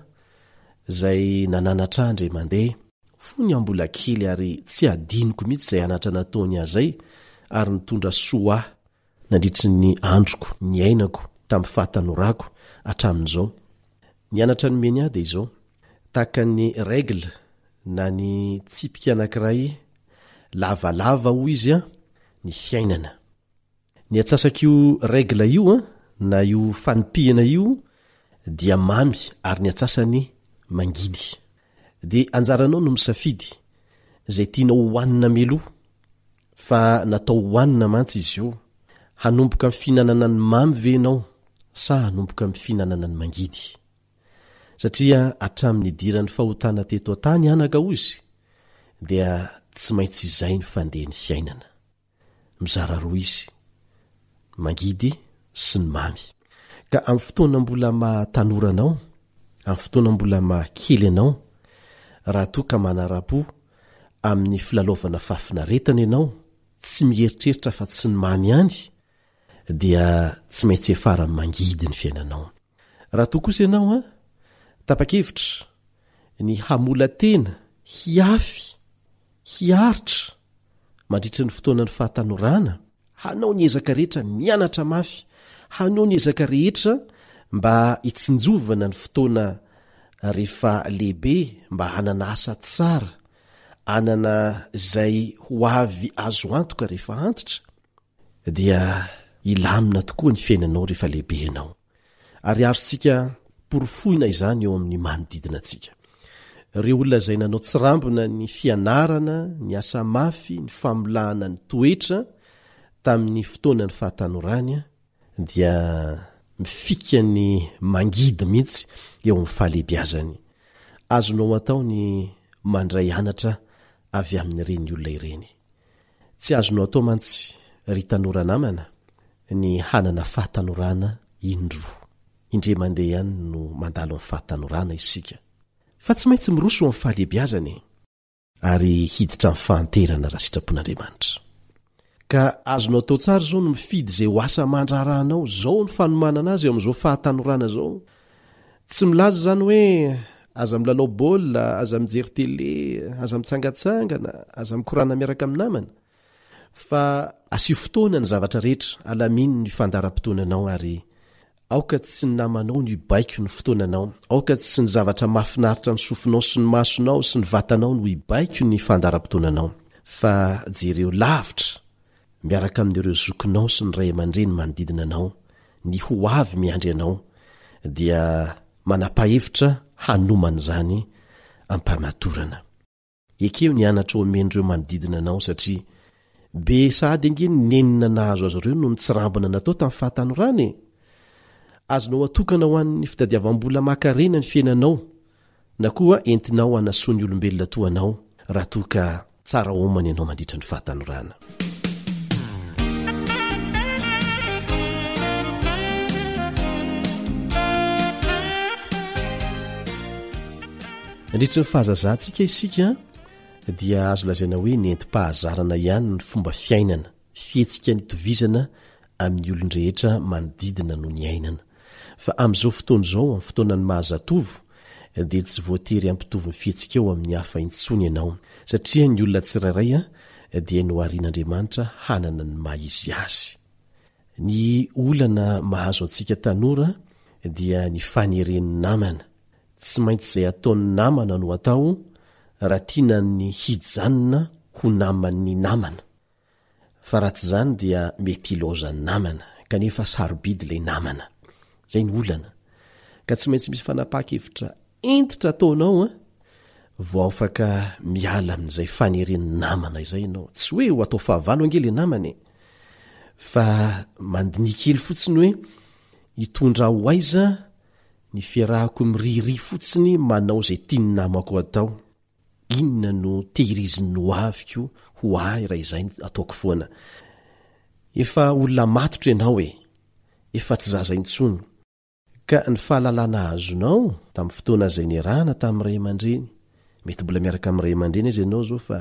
izay nananatra ahy indray mandeha, fony aho mbola kely ary tsy adinoko mihitsy izay anatra nataony ahy izay ary nitondra soa ahy nandritry ny androko niainako tamin'ny fahatanorako hatramin'izao. Ny anatra nomeny ahy dia izao, tahaka ny règle. na ny tsipika anankiray lavalava hoy izy an, ny fiainana. Ny atsasak'io règle io an, na io fanipihana io dia mamy ary ny atsasany mangidy. Dia anjaranao no misafidy izay tianao hohanina mialoha fa natao hohanina mantsy izy io. Hanomboka amin'ny fihinanana ny mamy ve ianao sa hanomboka amin'ny fihinanana ny mangidy? Satria hatramin'ny nidiran'ny fahotana teto an-tany anaka hozy dia tsy maintsy izay ny fandehan'ny fiainana. Mizara roa izy, ny mangidy sy ny mamy. Ka amin'ny fotoana mbola maha tanora anao, amin'ny fotoana mbola maha kely anao, raha toa ka manara-po amin'ny filalaovana fahafinaretana ianao, tsy mieritreritra afa-tsy ny mamy ihany, dia tsy maintsy hiafara amin'ny mangidy ny fiainanao. Raha toa kosa ianao an, tapa-kevitra ny hamola-tena, hiafy, hiaritra mandritra ny fotoanan'ny fahatanorana, hanao ny ezaka rehetra mianatra mafy, hanao ny ezaka rehetra mba hitsinjovana ny fotoana rehefa lehibe mba hanana asa tsara, hanana izay ho avy azo antoka rehefa antitra, dia hilamina tokoa ny fiainanao rehefa lehibe ianao. Ary azontsika porofoina izany eo amin'ny manodidina antsika. Ireo olona izay nanao tsirambina ny fianarana, ny asa mafy, ny famolahana ny toetra tamin'ny fotoanan'ny fahatanorany dia mifika ny mangidy mihitsy eo amin'ny fahalehibiazany. Azonao atao ny mandray anatra avy amin'ireny olona ireny. Tsy azonao atao mantsy, ry tanora namana, ny hanana fahatanorana indroa. Indray mandeha ihany no mandalo amin'ny fahatanorana isika. Fa tsy maintsy miroso ho amin'ny fahalehibiazana e! Ary hiditra amin'ny fahanterana raha sitrapon'Andriamanitra. Ka azonao atao tsara izao ny mifidy izay ho asa aman-draharahanao. Izao ny fanomanana azy eo amin'izao fahatanorana izao. Tsy milaza izany hoe aza milalao baolina, aza mijery tele, aza mitsangantsangana, aza mikorana miaraka amin'ny namana. Fa asio fotoana ny zavatra rehetra, alamino ny fandaharam-potoananao ary aoka tsy ny namanao no hibaiko ny fotoananao, aoka tsy ny zavatra mahafinaritra ny sofinao sy ny masonao sy ny vatanao no hibaiko ny fandaharam-potoananao, fa jereo lavitra miaraka amin'ireo zokinao sy ny ray aman-dreny manodidina anao, ny ho avy miandry anao, dia manapa-hevitra hanomana izany am-pamatorana. Ekeo ny anatra omen'ireo manodidina anao satria be sahady ange ny nenina nahazo azy ireo noho ny tsirambina natao tamin'ny fahatanorana e! Azonao atokana ho an'ny fitadiavam-bola maha-karena ny fiainanao na koa entinao hanasoa ny olombelona toa anao raha toa ka tsara homana ianao mandritra ny fahatanorana. Nandritra ny fahazazantsika isika dia azo lazaina hoe nentim-pahazarana ihany ny fomba fiainana, fihetsika nitovizana amin'ny olon-drehetra manodidina no niainana. Fa amin'izao fotoana izao, amin'ny fotoanan'ny maha zatovo, dia tsy voatery hampitovy ny fihetsikao amin'ny hafa intsony ianao, satria ny olona tsirairay dia noharian'Andriamanitra hanana ny maha izy azy. Ny olana mahazo antsika tanora dia ny faneren'ny namana. Tsy maintsy izay ataon'ny namana no atao raha tiana ny hijanona ho naman'ny namana. Fa raha tsy izany dia mety hilaozan'ny namana, kanefa sarobidy ilay namana. Izay ny olana. Ka tsy maintsy misy fanapahan-kevitra hentitra ataonao an, vao afaka miala amin'izay faneren'ny namana izay ianao. Tsy hoe ho atao fahavalo ange ilay namana e! Fa mandinia kely fotsiny hoe hitondra ho aiza ny fiarahako miririhy fotsiny manao izay tian'ny namako atao. Inona no tehirizin'ny ho aviko ho ahy raha izay no ataoko foana? Efa olona matotra ianao e! Efa tsy zaza intsony. Ka ny fahalalana azonao tamin'ny fotoana izay niarahana tamin'ny ray aman-dreny, mety mbola miaraka amin'ny ray aman-dreny aza ianao izao fa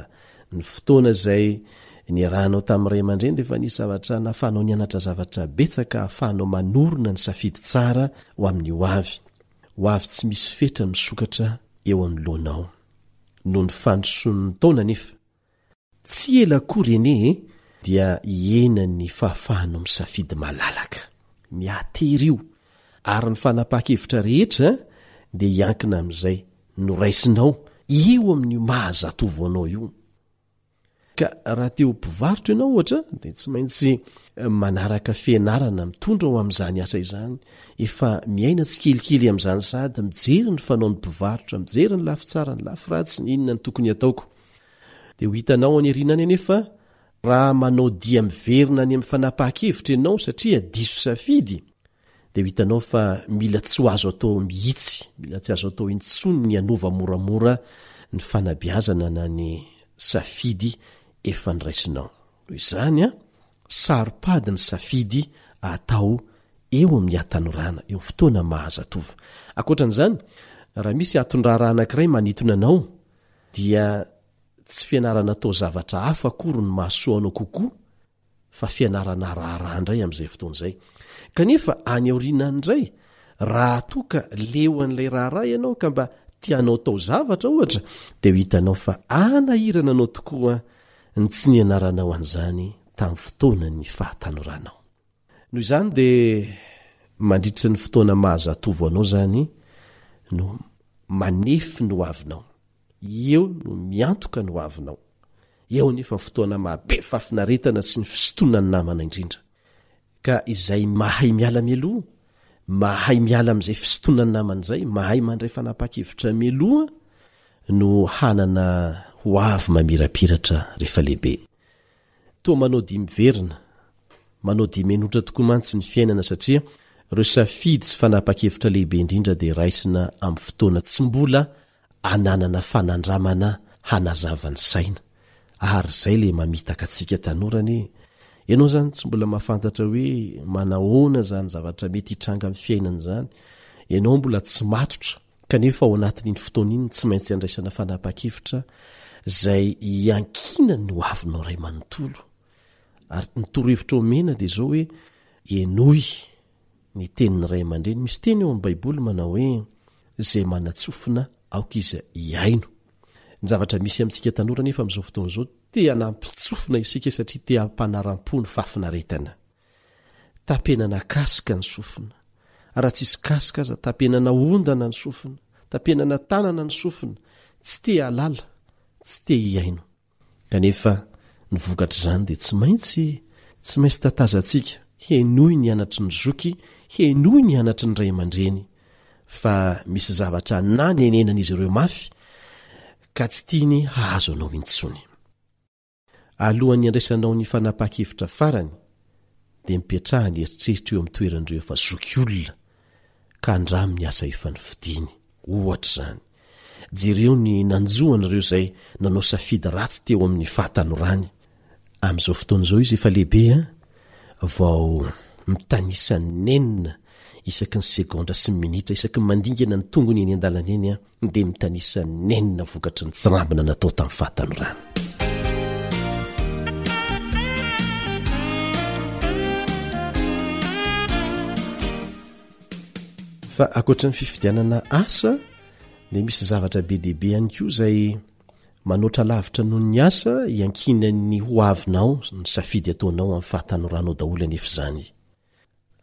ny fotoana izay niarahanao tamin'ny ray aman-dreny dia efa nisy zavatra nahafahanao nianatra zavatra betsaka ahafahanao manorina ny safidy tsara ho amin'ny ho avy. Ho avy tsy misy fetra misokatra eo anoloanao. Noho ny fandrosoan'ny taona anefa, tsy ela akory anie e, dia hihena ny fahafahanao misafidy malalaka. Mihatery io, ary ny fanapahan-kevitra rehetra dia hiankina amin'izay noraisinao. eo amin'io maha zatovo anao io. Ka raha te ho mpivarotra ianao ohatra dia tsy maintsy manaraka fianarana mitondra ho amin'izany asa izany, efa miaina tsikelikely amin'izany sahady, mijery ny fanaon'ny mpivarotra, mijery ny lafy tsara, ny lafy ratsy, ny inona no tokony hataoko. Dia ho hitanao any aoriana any anefa raha manao dia miverina any amin'ny fanapahan-kevitra ianao satria diso safidy dia ho hitanao fa mila tsy ho azo atao mihitsy, mila tsy azo atao intsony ny hanova moramora ny fanabeazana na ny safidy efa noraisinao. Noho izany, saro-pady ny safidy atao eo amin'ny hatanorana, eo amin'ny fotoana maha zatovo. Ankoatra an'izany, raha misy anton-draharaha anankiray manintona anao, dia tsy fianarana atao zavatra hafa akory no mahasoa anao kokoa fa fianarana raharaha indray amin'izay fotoana izay. Kanefa any aoriana any indray, raha toa ka leo an'ilay raharaha ianao ka mba tianao atao zavatra ohatra, dia ho hitanao fa hanahirana anao tokoa ny tsy nianaranao an'izany tamin'ny fotoanan'ny fahatanoranao. Noho izany dia mandritra ny fotoana maha zatovo anao izany no manefy ny hoavinao. Eo no miantoka ny hoavinao. Eo anefa ny fotoana maha be fahafinaretana sy ny fisintonan'ny namana indrindra. Ka izay mahay miala mialoha, mahay miala amin'izay fisintonan'ny namana izay, mahay mandray fanapahan-kevitra mialoha no hanana hoavy mamirapiratra rehefa lehibe. Toa manao dia miverina, manao dia menotra tokoa mantsy ny fiainana satria ireo safidy sy fanapahan-kevitra lehibe indrindra dia raisina amin'ny fotoana tsy mbola ananana fanandramana hanazava ny saina. Ary izay ilay mamitaka antsika tanora anie. Ianao izany tsy mbola mahafantatra hoe manahoana izany zavatra mety hitranga amin'ny fiainana izany. Ianao mbola tsy matotra Kanefa ao anatin'iny fotoana iny tsy maintsy andraisana fanapahan-kevitra izay iankinan'ny hoavinao iray manontolo. Ary ny torohevitra omena dia izao hoe henoy ny tenin'ny ray aman-dreny. Misy teny ao amin'ny Baiboly manao hoe izay manan-tsofina aoka izy hihaino. Ny zavatra misy amintsika tanora anefa amin'izao fotoana izao te hanampin-tsofina isika satria te hampanaram-po ny fahafinaretana. Tapenana casque ny sofina. Raha tsisy casque aza tapenana ondana ny sofina, tapenana tanana ny sofina, tsy te hahalala, tsy te hihaino. Kanefa ny vokatr'izany dia tsy maintsy tsy maintsy tatazantsika, henoy ny anatry ny zoky, henoy ny anatry ny ray aman-dreny fa misy zavatra nanenenan'izy ireo mafy ka tsy tiany hahazo anao intsony. Alohan'ny handraisanao ny fanapahan-kevitra farany, dia mipetraha ny eritreritra eo amin'ny toeran'ireo efa zokiolona ka andramo ny asa efa nofidiny. Ohatra izany, jereo ny nanjo an'ireo izay nanao safidy ratsy teo amin'ny fahatanorany. Amin'izao fotoana izao izy efa lehibe an, vao mitanisa nenina isaky ny segondra sy ny minitra, isaky ny mandingana ny tongony eny an-dalana eny an, dia mitanisa nenina vokatry ny tsirambina natao tamin'ny fahatanorana. Fa ankoatra ny fifidianana asa dia misy zavatra be dia be ihany koa izay manoatra lavitra noho ny asa iankinan'ny ho avinao ny safidy ataonao amin'ny fahatanoranao daholo anefa izany.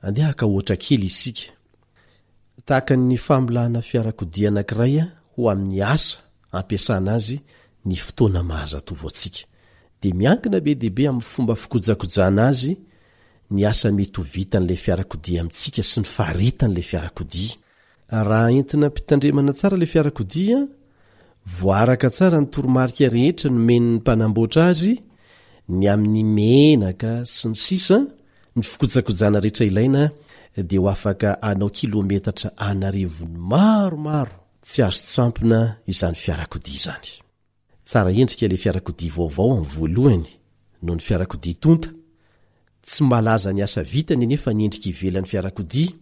Andeha haka ohatra kely isika. Tahaka ny famolahana fiarakodia anankiray ho amin'ny asa ampiasana azy ny fotoana maha-zatovo antsika, dia miankina be dia be amin'ny fomba fikojakojana azy ny asa mety ho vitan'ilay fiarakodia amintsika sy ny faharetan'ilay fiarakodia. Raha entina am-pitandremana tsara ilay fiarakodia, voaaraka tsara ny toromarika rehetra nomen'ny mpanamboatra azy, ny amin'ny menaka sy ny sisa, ny fikojakojana rehetra ilaina dia ho afaka hanao kilometatra an'arivony maromaro tsy azo tsampona izany fiarakodia izany. Tsara endrika ilay fiarakodia vaovao amin'ny voalohany noho ny fiarakodia tonta. Tsy malaza ny asa vitany anefa ny endrika ivelan'ny fiarakodia,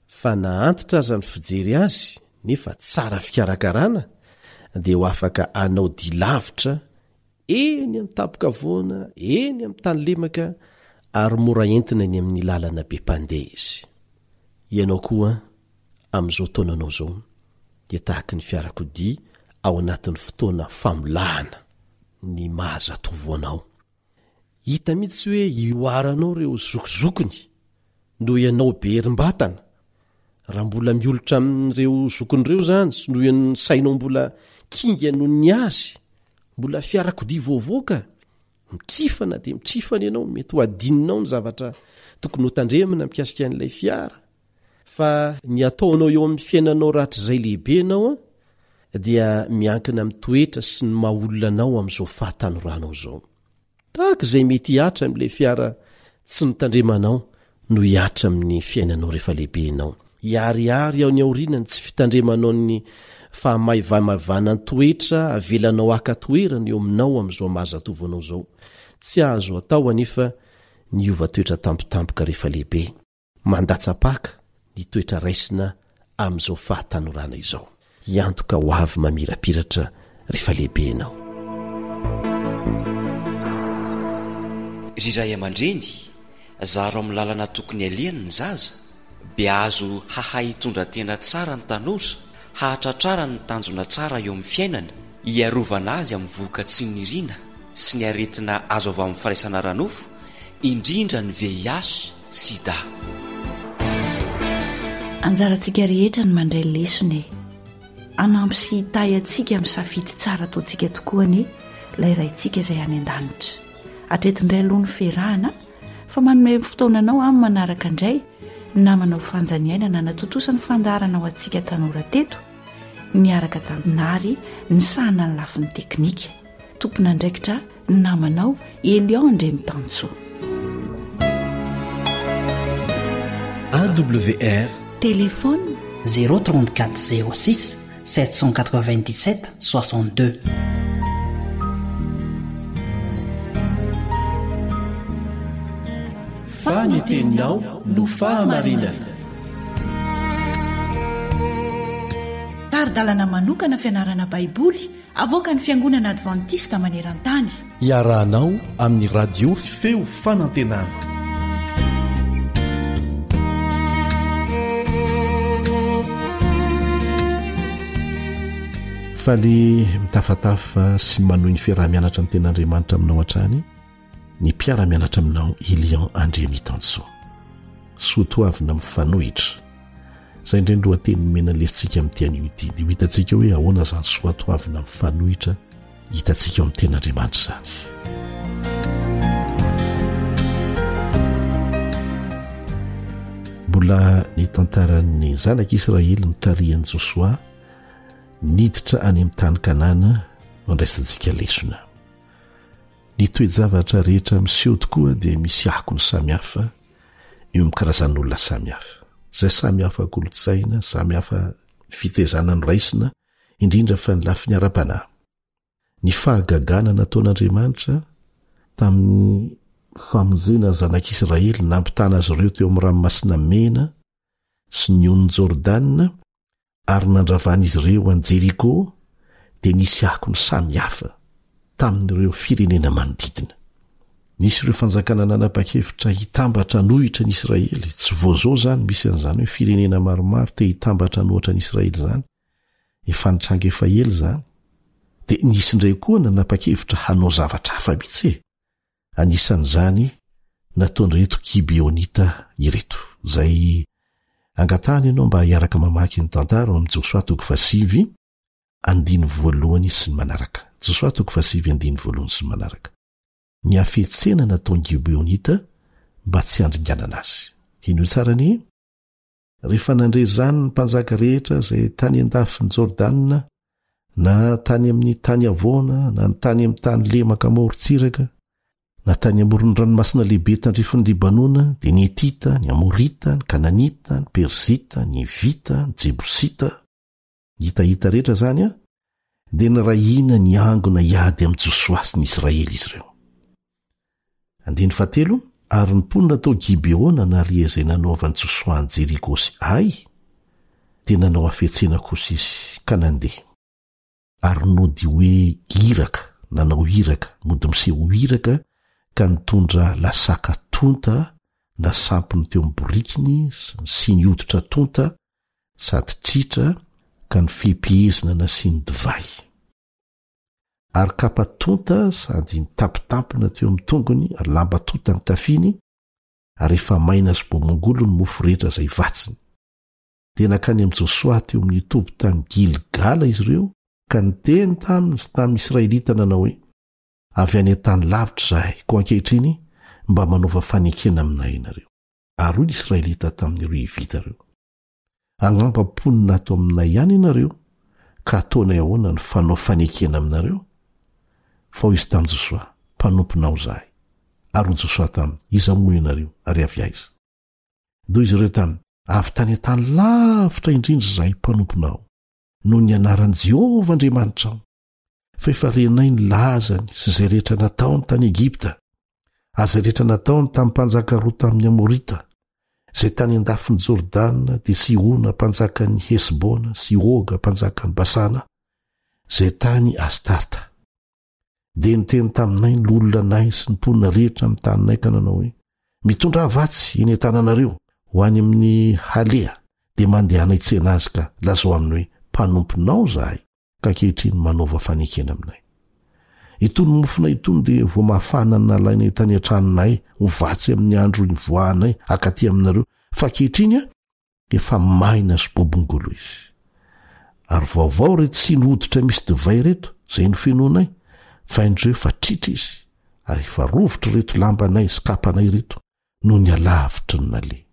fa na antitra aza ny fijery azy nefa tsara fikarakarana dia ho afaka hanao dia lavitra eny amin'ny tampon-kavoana, eny amin'ny tany lemaka ary mora entina eny amin'ny lalana be mpandeha izy. Ianao koa amin'izao taonanao izao dia tahaky ny fiarakodia ao anatin'ny fotoana famolahana ny maha zatovo anao. Hita mihitsy hoe ihoaranao ireo zokizokiny noho ianao be herim-batana. Raha mbola miolotra amin'ireo zokiny ireo izany sy noho ny sainao mbola Kinga noho ny azy, mbola fiarakodia vaovao ka! Mitrifana dia mitrifana ianao, mety ho adinonao ny zavatra tokony hotandremana mikasika an'ilay fiara. Fa ny ataonao eo amin'ny fiainanao rahatrizay lehibe ianao dia miankina amin'ny toetra sy ny maha olona anao amin'izao fahatanoranao izao. Tahaka izay mety hihatra amin'ilay fiara tsy notandremanao no hihatra amin'ny fiainanao rehefa lehibe ianao. Hiharihary ao ny aoriana ny tsy fitandremanao ny fahamaivamaivanan-toetra avelanao haka toerana eo aminao amin'izao maha zatovo anao izao. Tsy azo atao anefa ny hiova toetra tampotampoka rehefa lehibe. Mandatsa-paka ny toetra raisina amin'izao fahatanorana izao. Hiantoka ho avy mamirapiratra rehefa lehibe ianao. Ry ray aman-dreny, zaro amin'ny lalana tokony alehany ny zaza, beazo hahay hitondra tena tsara ny tanora, hahatratrarany ny tanjona tsara eo amin'ny fiainana, hiarovana azy amin'ny vohoka tsy nirina sy ny aretina azo avy amin'ny firaisana ara-nofo, indrindra ny VIH, sida. Anjarantsika rehetra ny mandray lesona e! Hanampy sy hitahy antsika amin'ny safidy tsara ataontsika tokoa anie ilay Raintsika izay any an-danitra. Hatreto indray aloha ny fiarahana fa manome fotoana anao amin'ny manaraka indray ny namanao Fanjaniaina nanatontosa ny fandaharana ho antsika tanora teto niaraka tamin'i Nary nisahana ny lafiny teknika. Tompon'andraikitra ny namanao Elion Andriamitansoa. AWR. Téléphone 034 06 797 62. Fa ny teninao no fahamarinana. Tari-dalana manokana fianarana Baiboly Avoakan'ny Fiangonana Advantista maneran-tany. Iarahanao amin'ny Radio Feo Fanantenana. Faly mitafatafa sy manohy ny fiaraha-mianatra ny Tenin'Andriamanitra aminao hatrany ny mpiara-mianatra aminao Ilian Andriamitansoa. Soa toavina mifanohitra. Izay indray ny lohateny nomena ny lesintsika amin'ity anio ity. Dia ho hitantsika hoe ahoana izany soatoavina mifanohitra hitantsika ao amin'ny tenin'Andriamanitra izany. Mbola ny tantaran'ny zanak'Israely notarihan'i Josoa niditra any amin'ny tany Kanana no andraisantsika lesona. Ny toe-javatra rehetra miseho tokoa dia misy akony samihafa eo amin'ny karazan'olona samihafa, izay samy hafa kolontsaina, samy hafa fitaizana noraisina, indrindra fa ny lafiny ara-panahy. Ny fahagagana nataon'Andriamanitra tamin'ny famonjena ny zanak'Israely nampitana azy ireo teo amin'ny Ranomasina Mena sy ny onin'i Jordana ary nandravan'izy ireo an'i Jeriko dia nisy akony samy hafa tamin'ireo firenena manodidina. Nisy ireo fanjakana nanapa-kevitra hitambatra hanohitra an'i Israely. Tsy vao izao izany misy an'izany hoe firenena maromaro te hitambatra hanohitra an'i Israely izany. Efa nitranga efa ela izany. Dia nisy indray koa nanapa-kevitra hanao zavatra hafa mihitsy e! Anisan'izany nataon'ireto Gibeonita ireto, izay angatahana ianao mba hiaraka mamaky ny tantara ao amin'ny Josoa toko fahasivy andininy voalohany sy ny manaraka. Josoa toko fahasivy andininy voalohany sy ny manaraka. Ny hafetsena nataon'ny Gibeonita mba tsy handringanana azy. Henoy tsara anie. Rehefa nandre izany ny mpanjaka rehetra izay tany an-dafin'i Jordana, na tany amin'ny tany havoana, na ny tany amin'ny tany lemaka amoron-tsiraka, na tany amoron'ny ranomasina lehibe tandrifin'i Libanona, dia ny Hetita, ny Amorita, ny Kananita, ny Perizita, ny Hevita, ny Jebosita, ny Hitahita rehetra izany, dia niray hina niangona hiady amin'i Josoa sy ny Israely izy ireo. Andininy fahatelo, Ary ny mponina tao Gibeona nahare izay nanaovan'i Josoa an'i Jeriko sy Ay, dia nanao hafetsena kosa izy, ka nandeha. Ary nody hoe iraka, nanao iraka, nody miseho ho iraka, ka nitondra lasaka tonta nasampiny teo amin'ny borikiny sy ny siny hoditra tonta sady tritra ka nifehipehezina nasiany divay. Ary kapa tonta sady mitampitampina teo amin'ny tongony ary lamba tonta ny tafiny, ary efa maina sy bomongolo ny mofo rehetra izay vatsiny. Dia nankany amin'i Josoa teo amin'ny toby tany Gilgala izy ireo. Ka niteny taminy sy tamin'ny Israelita nanao hoe, Avy any an-tany lavitra izahay, koa ankehitriny mba manaova fanekena aminay ianareo. Ary hoy ny Israelita tamin'ireo Hivita ireo, Angamba mponina ato aminay ihany ianareo, ka ataonay ahoana ny fanao fanekena aminareo? Fa hoy izy tamin'i Josoa, Mpanomponao izahay. Ary hoy Josoa taminy, Iza moa ianareo, ary avy aiza? Dia hoy izy ireo taminy, Avy tany an-tany lavitra indrindra izahay mpanomponao, noho ny anaran'i Jehovah Andriamanitrao, fa efa renay ny lazany sy izay rehetra nataony tany Egypta, ary izay rehetra nataony tamin'ny mpanjaka roa tamin'ny Amorita, izay tany an-dafin'i Jordana, dia Sihona mpanjakan'i Hesbona sy Oga mpanjakan'i Basana, izay tany Astarta. Dia niteny taminay ny loholona anay sy ny mponina rehetra amin'ny taninay ka nanao hoe, Mitondrà vatsy eny an-tananareo ho any amin'ny haleha, dia mandehana hitsena azy ka lazao aminy hoe, Mpanomponao izahay, ka ankehitriny manaova fanekena aminay. Itony mofonay itony dia vao mafana nalainay tany an-tranonay ho vatsy amin'ny andro nivoahanay hakaty aminareo, fa ankehitriny efa maina sy bobongolo izy. Ary vaovao ireto siny hoditra misy divay ireto, izay nofenoinay, fa indreo efa tritra izy, ary efa rovitra ireto lambanay sy kapanay ireto, noho ny halavitry ny naleha.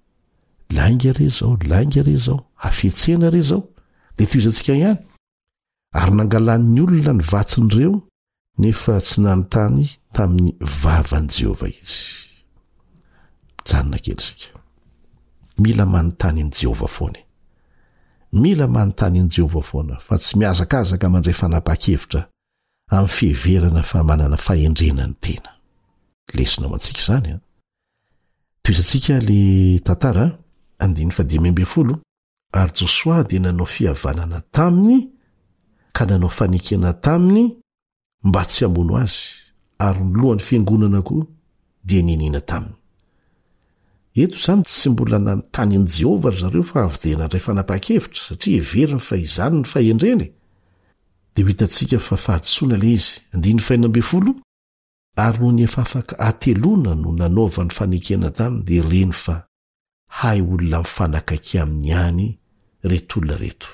Lainga re izao, lainga re izao, hafetsena re izao, dia tohizantsika ihany. Ary nangalan'ny olona ny vatsin'ireo, nefa tsy nanontany tamin'ny vavan'i Jehovah izy. Mijanona kely isika. Mila manontany an'i Jehovah foana e. Mila manontany an'i Jehovah foana, fa tsy mihazakazaka mandray fanapahan-kevitra amin'ny fiheverana fa manana fahendrena ny tena. Lesona ho antsika izany an. Tohizantsika le tantara, andininy fahadimy ambin'ny folo, ary Josoa dia nanao fihavanana taminy ka nanao fanekena taminy mba tsy hamono azy, ary ny lohan'ny fiangonana koa dia niniana taminy. Eto izany tsy mbola nanontany an'i Jehovah ry zareo fa avy dia nandray fanapahan-kevitra satria heveriny fa izany ny fahendrena e. Dia ho hitantsika fa fahadisoana ilay izy. Andininy fahenina ambin'ny folo, Ary nony efa afaka hateloana no nanaovany fanekena taminy dia reny fa hay olona mifanakaiky aminy ihany ireto olona ireto.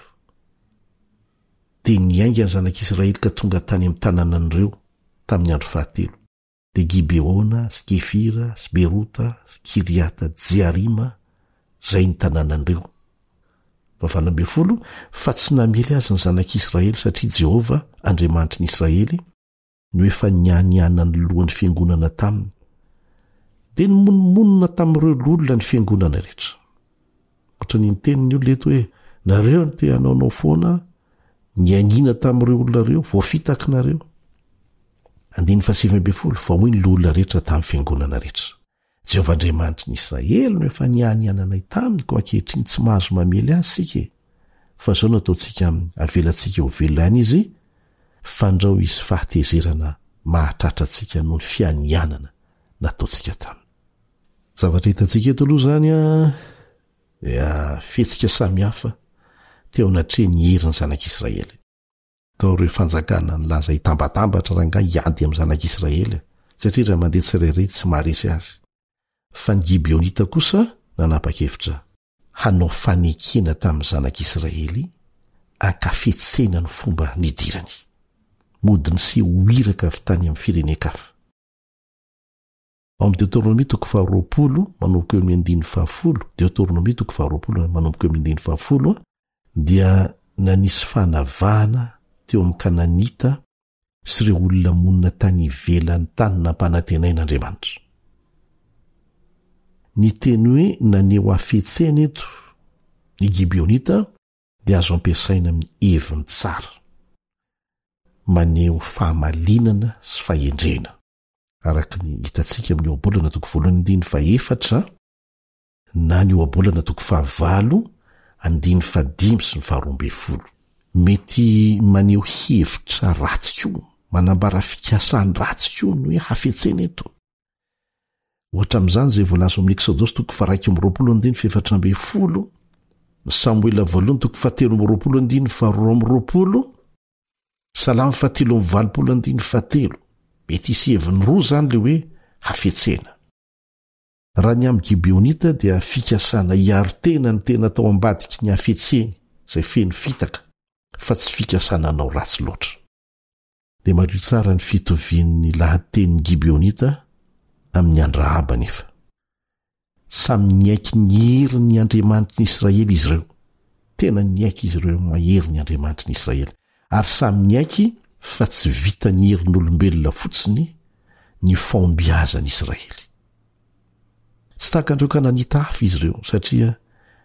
Dia niainga ny zanak'Israely ka tonga tany amin'ny tanànan'ireo tamin'ny andro fahatelo. Dia Gibeona sy Kefira sy Berota sy Kiriata Jearima, izay ny tanànan'ireo. Fahavalo 18, fa tsy namely azy ny zanak'Israely satria Jehovah, Andriamanitry ny Israely, no efa nianianan'ny lohan'ny fiangonana taminy. Dia nimonomonona tamin'ireo loholona ny fiangonana rehetra. Ohatran'ny niteny ny olona eto hoe, nareo no te hanaonao foana, nianiana tamin'ireo olona ireo, voafitaka nareo. Andininy fahasivy ambin'ny folo, fa hoy ny loholona rehetra tamin'ny fiangonana rehetra, Jehovah Andriamanitry ny Israely no efa nianiananay taminy, koa ankehitriny tsy mahazo mamely azy isika e! Fa izao no ataontsika aminy, avelantsika ho velona ihany izy, fandrao hisy fahatezerana mahatratra antsika noho ny fianianana nataontsika taminy. Zavatra hitantsika eto aloha izany an, dia fihetsika samihafa teo anatrehan'ny herin'ny zanak'Israely. Tao ireo fanjakana nilaza hitambatambatra rangahy hiady amin'ny zanak'Israely, satria raha mandeha tsirairay tsy maharesy azy. Fa ny Gibeonita kosa nanapa-kevitra hanao fanekena tamin'ny zanak'Israely ankafetsena ny fomba nidirany. Mody niseho ho iraka avy tany amin'ny firenen-kafa. Ao amin'ny Deoteronomia toko faharoapolo manomboka eo amin'ny andininy fahafolo, Deoteronomia toko faharoapolo manomboka eo amin'ny andininy fahafolo, dia nanisy fanavahana teo amin'ny Kananita sy ireo olona monina tany ivelan'ny tany nampanantenaina Andriamanitra. Ny teny hoe naneho hafetsena eto ny Gibeonita dia azo ampiasaina amin'ny heviny tsara, maneho fahamalinana sy fahendrena. araka ny hitantsika amin'ny ohabolana toko voalohany andininy fahefatra na ny ohabolana toko fahavalo andininy fahadimy sy ny faharoa ambin'ny folo. Mety maneho hevitra ratsy koa, manambara fikasany ratsy koa ny hoe hafetsena eto. Ohatra amin'izany izay voalaza ao amin'ny Eksodosy toko faha 21 andininy fahefatra ambin'ny folo, ny Samoela voalohany toko fahatelo amby roapolo andininy faharoa amby roapolo, Salamo fahatelo amby valopolo andininy fahatelo. Mety hisy heviny roa izany ilay hoe hafetsena. Raha ny amin'ny Gibeonita dia fikasana hiaro tena ny tena tao ambadiky ny hafetseny izay feno fitaka. fa tsy fikasana hanao ratsy loatra. Dia mariho tsara ny fitovian'ny lahatenin'ny Gibeonita amin'ny an-dRahaba anefa. Samy niaiky ny herin'ny Andriamanitry ny Israely izy ireo. Tena niaiky izy ireo mahery ny Andriamanitry ny Israely. Ary samy niaiky fa tsy vitan'ny herin'olombelona fotsiny ny fahombiazan'ny Israely. Tsy tahaka an'ireo Kananita hafa izy ireo, satria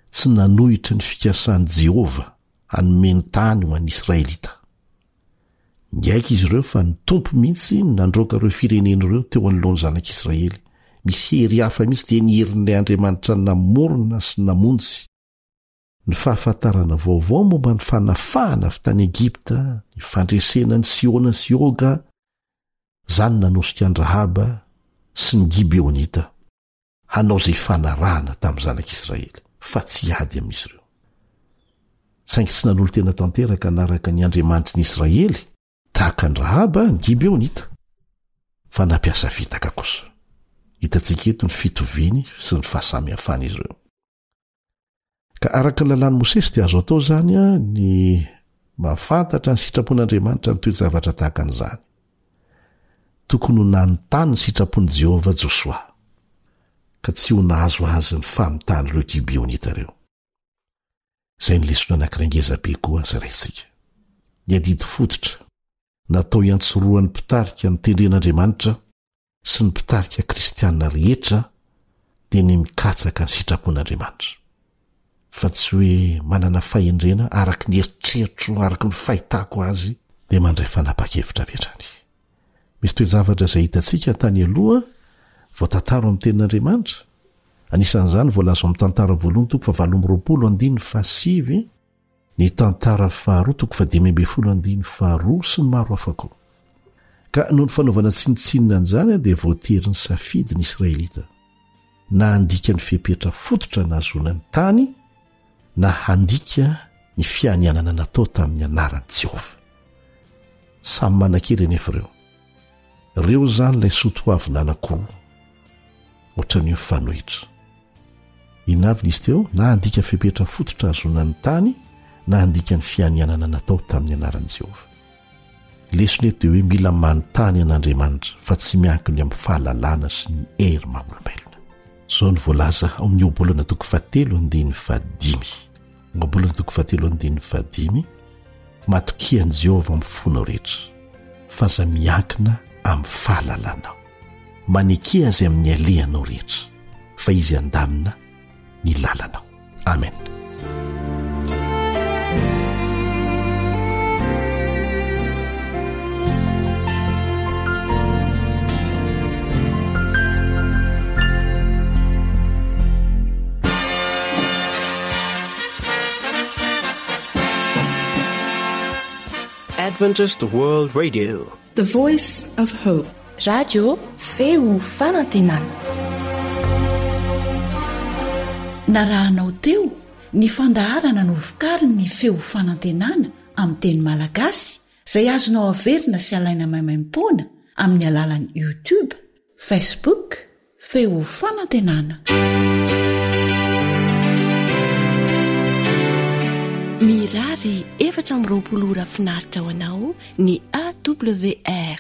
tsy nanohitra ny fikasan'i Jehovah hanome ny tany ho an'ny Israelita. Niaiky izy ireo fa ny Tompo mihitsy no nandroaka ireo firenena ireo teo anoloan'ny zanak'Israely. Misy hery hafa mihitsy dia ny herin'ilay Andriamanitra namorona sy namonjy. Ny fahafantarana vaovao momba ny fanafahana avy tany Egypta, ny fandresena an'i Sihona sy Oga, izany nanosika an-dRahaba sy ny Gibeonita. hanao izay hifanarahana tamin'ny zanak'Israely, fa tsy hiady amin'izy ireo. Saingy tsy nanolo-tena tanteraka hanaraka ny Andriamanitry ny Israely tahaka an'i Rahaba ny Gibeonita, fa nampiasa fitaka kosa. Hitantsika eto ny fitoviany sy ny fahasamihafan'izy ireo. Ka araka ny lalàn'i Mosesy dia azo atao izany ny mahafantatra ny sitrapon'Andriamanitra amin'ny toe-javatra tahaka an'izany. Tokony ho nanontany ny sitrapon'i Jehovah Josoa, ka tsy ho nahazo azy ny famintan'ireo Gibeonita ireo. Izay ny lesona anankiray ngezabe koa zaraintsika. Ny adidy fototra natao hiantsorohan'ny mpitarika notendren'Andriamanitra sy ny mpitarika kristiana rehetra dia ny mikatsaka ny sitrapon'Andriamanitra, fa tsy hoe manana fahendrena araka ny eritreritro, araka ny fahitako azy, dia mandray fanapahan-kevitra avy hatrany. Misy toe-javatra izay hitantsika tany aloha voatantara ao amin'ny Tenin'Andriamanitra, anisan'izany voalaza ao amin'ny Tantara voalohany toko fahavalo amby 20 andininy fahasivy, Ny tantara faharoa toko fahadimy ambin'ny folo andininy faharoa sy ny maro hafa koa. Ka noho ny fanaovana tsinontsinona an'izany dia voatery nisafidy ny Israelita na handika ny fepetra fototra nahazoana ny tany na handika ny fianianana natao tamin'ny anaran'i Jehovah. Samy manan-kery anefa ireo. Ireo izany ilay soatoavina anankiroa. Ohatran'ny hoe mifanohitra. Inona avy nisy teo? Na handika fepetra fototra hahazoana ny tany, na handika ny fianianana natao tamin'ny anaran'i Jehovah. Lesona eto dia hoe mila manontany an'Andriamanitra fa tsy miankina amin'ny fahalalana sy ny hery maha olombelona. Izao no voalaza ao amin'ny Ohabolana toko fahatelo andininy fahadimy. Ohabolana toko fahatelo andininy fahadimy, Matokia an'i Jehovah amin'ny fonao rehetra, fa aza miankina amin'ny fahalalanao. Maneke azy amin'ny alehanao rehetra, fa izy handamina ny lalanao. Amen. Adventist World Radio. The Voice of Hope. Radio Feo Fanantenana. Narahanao teo ny fandaharana novokarin'ny Feo Fanantenana amin'ny teny malagasy izay azonao averina sy alaina maimaimpoana amin'ny alalan'ny YouTube, Facebook, Feo Fanantenana. Mirary 24 ora finaritra ho anao ny AWR.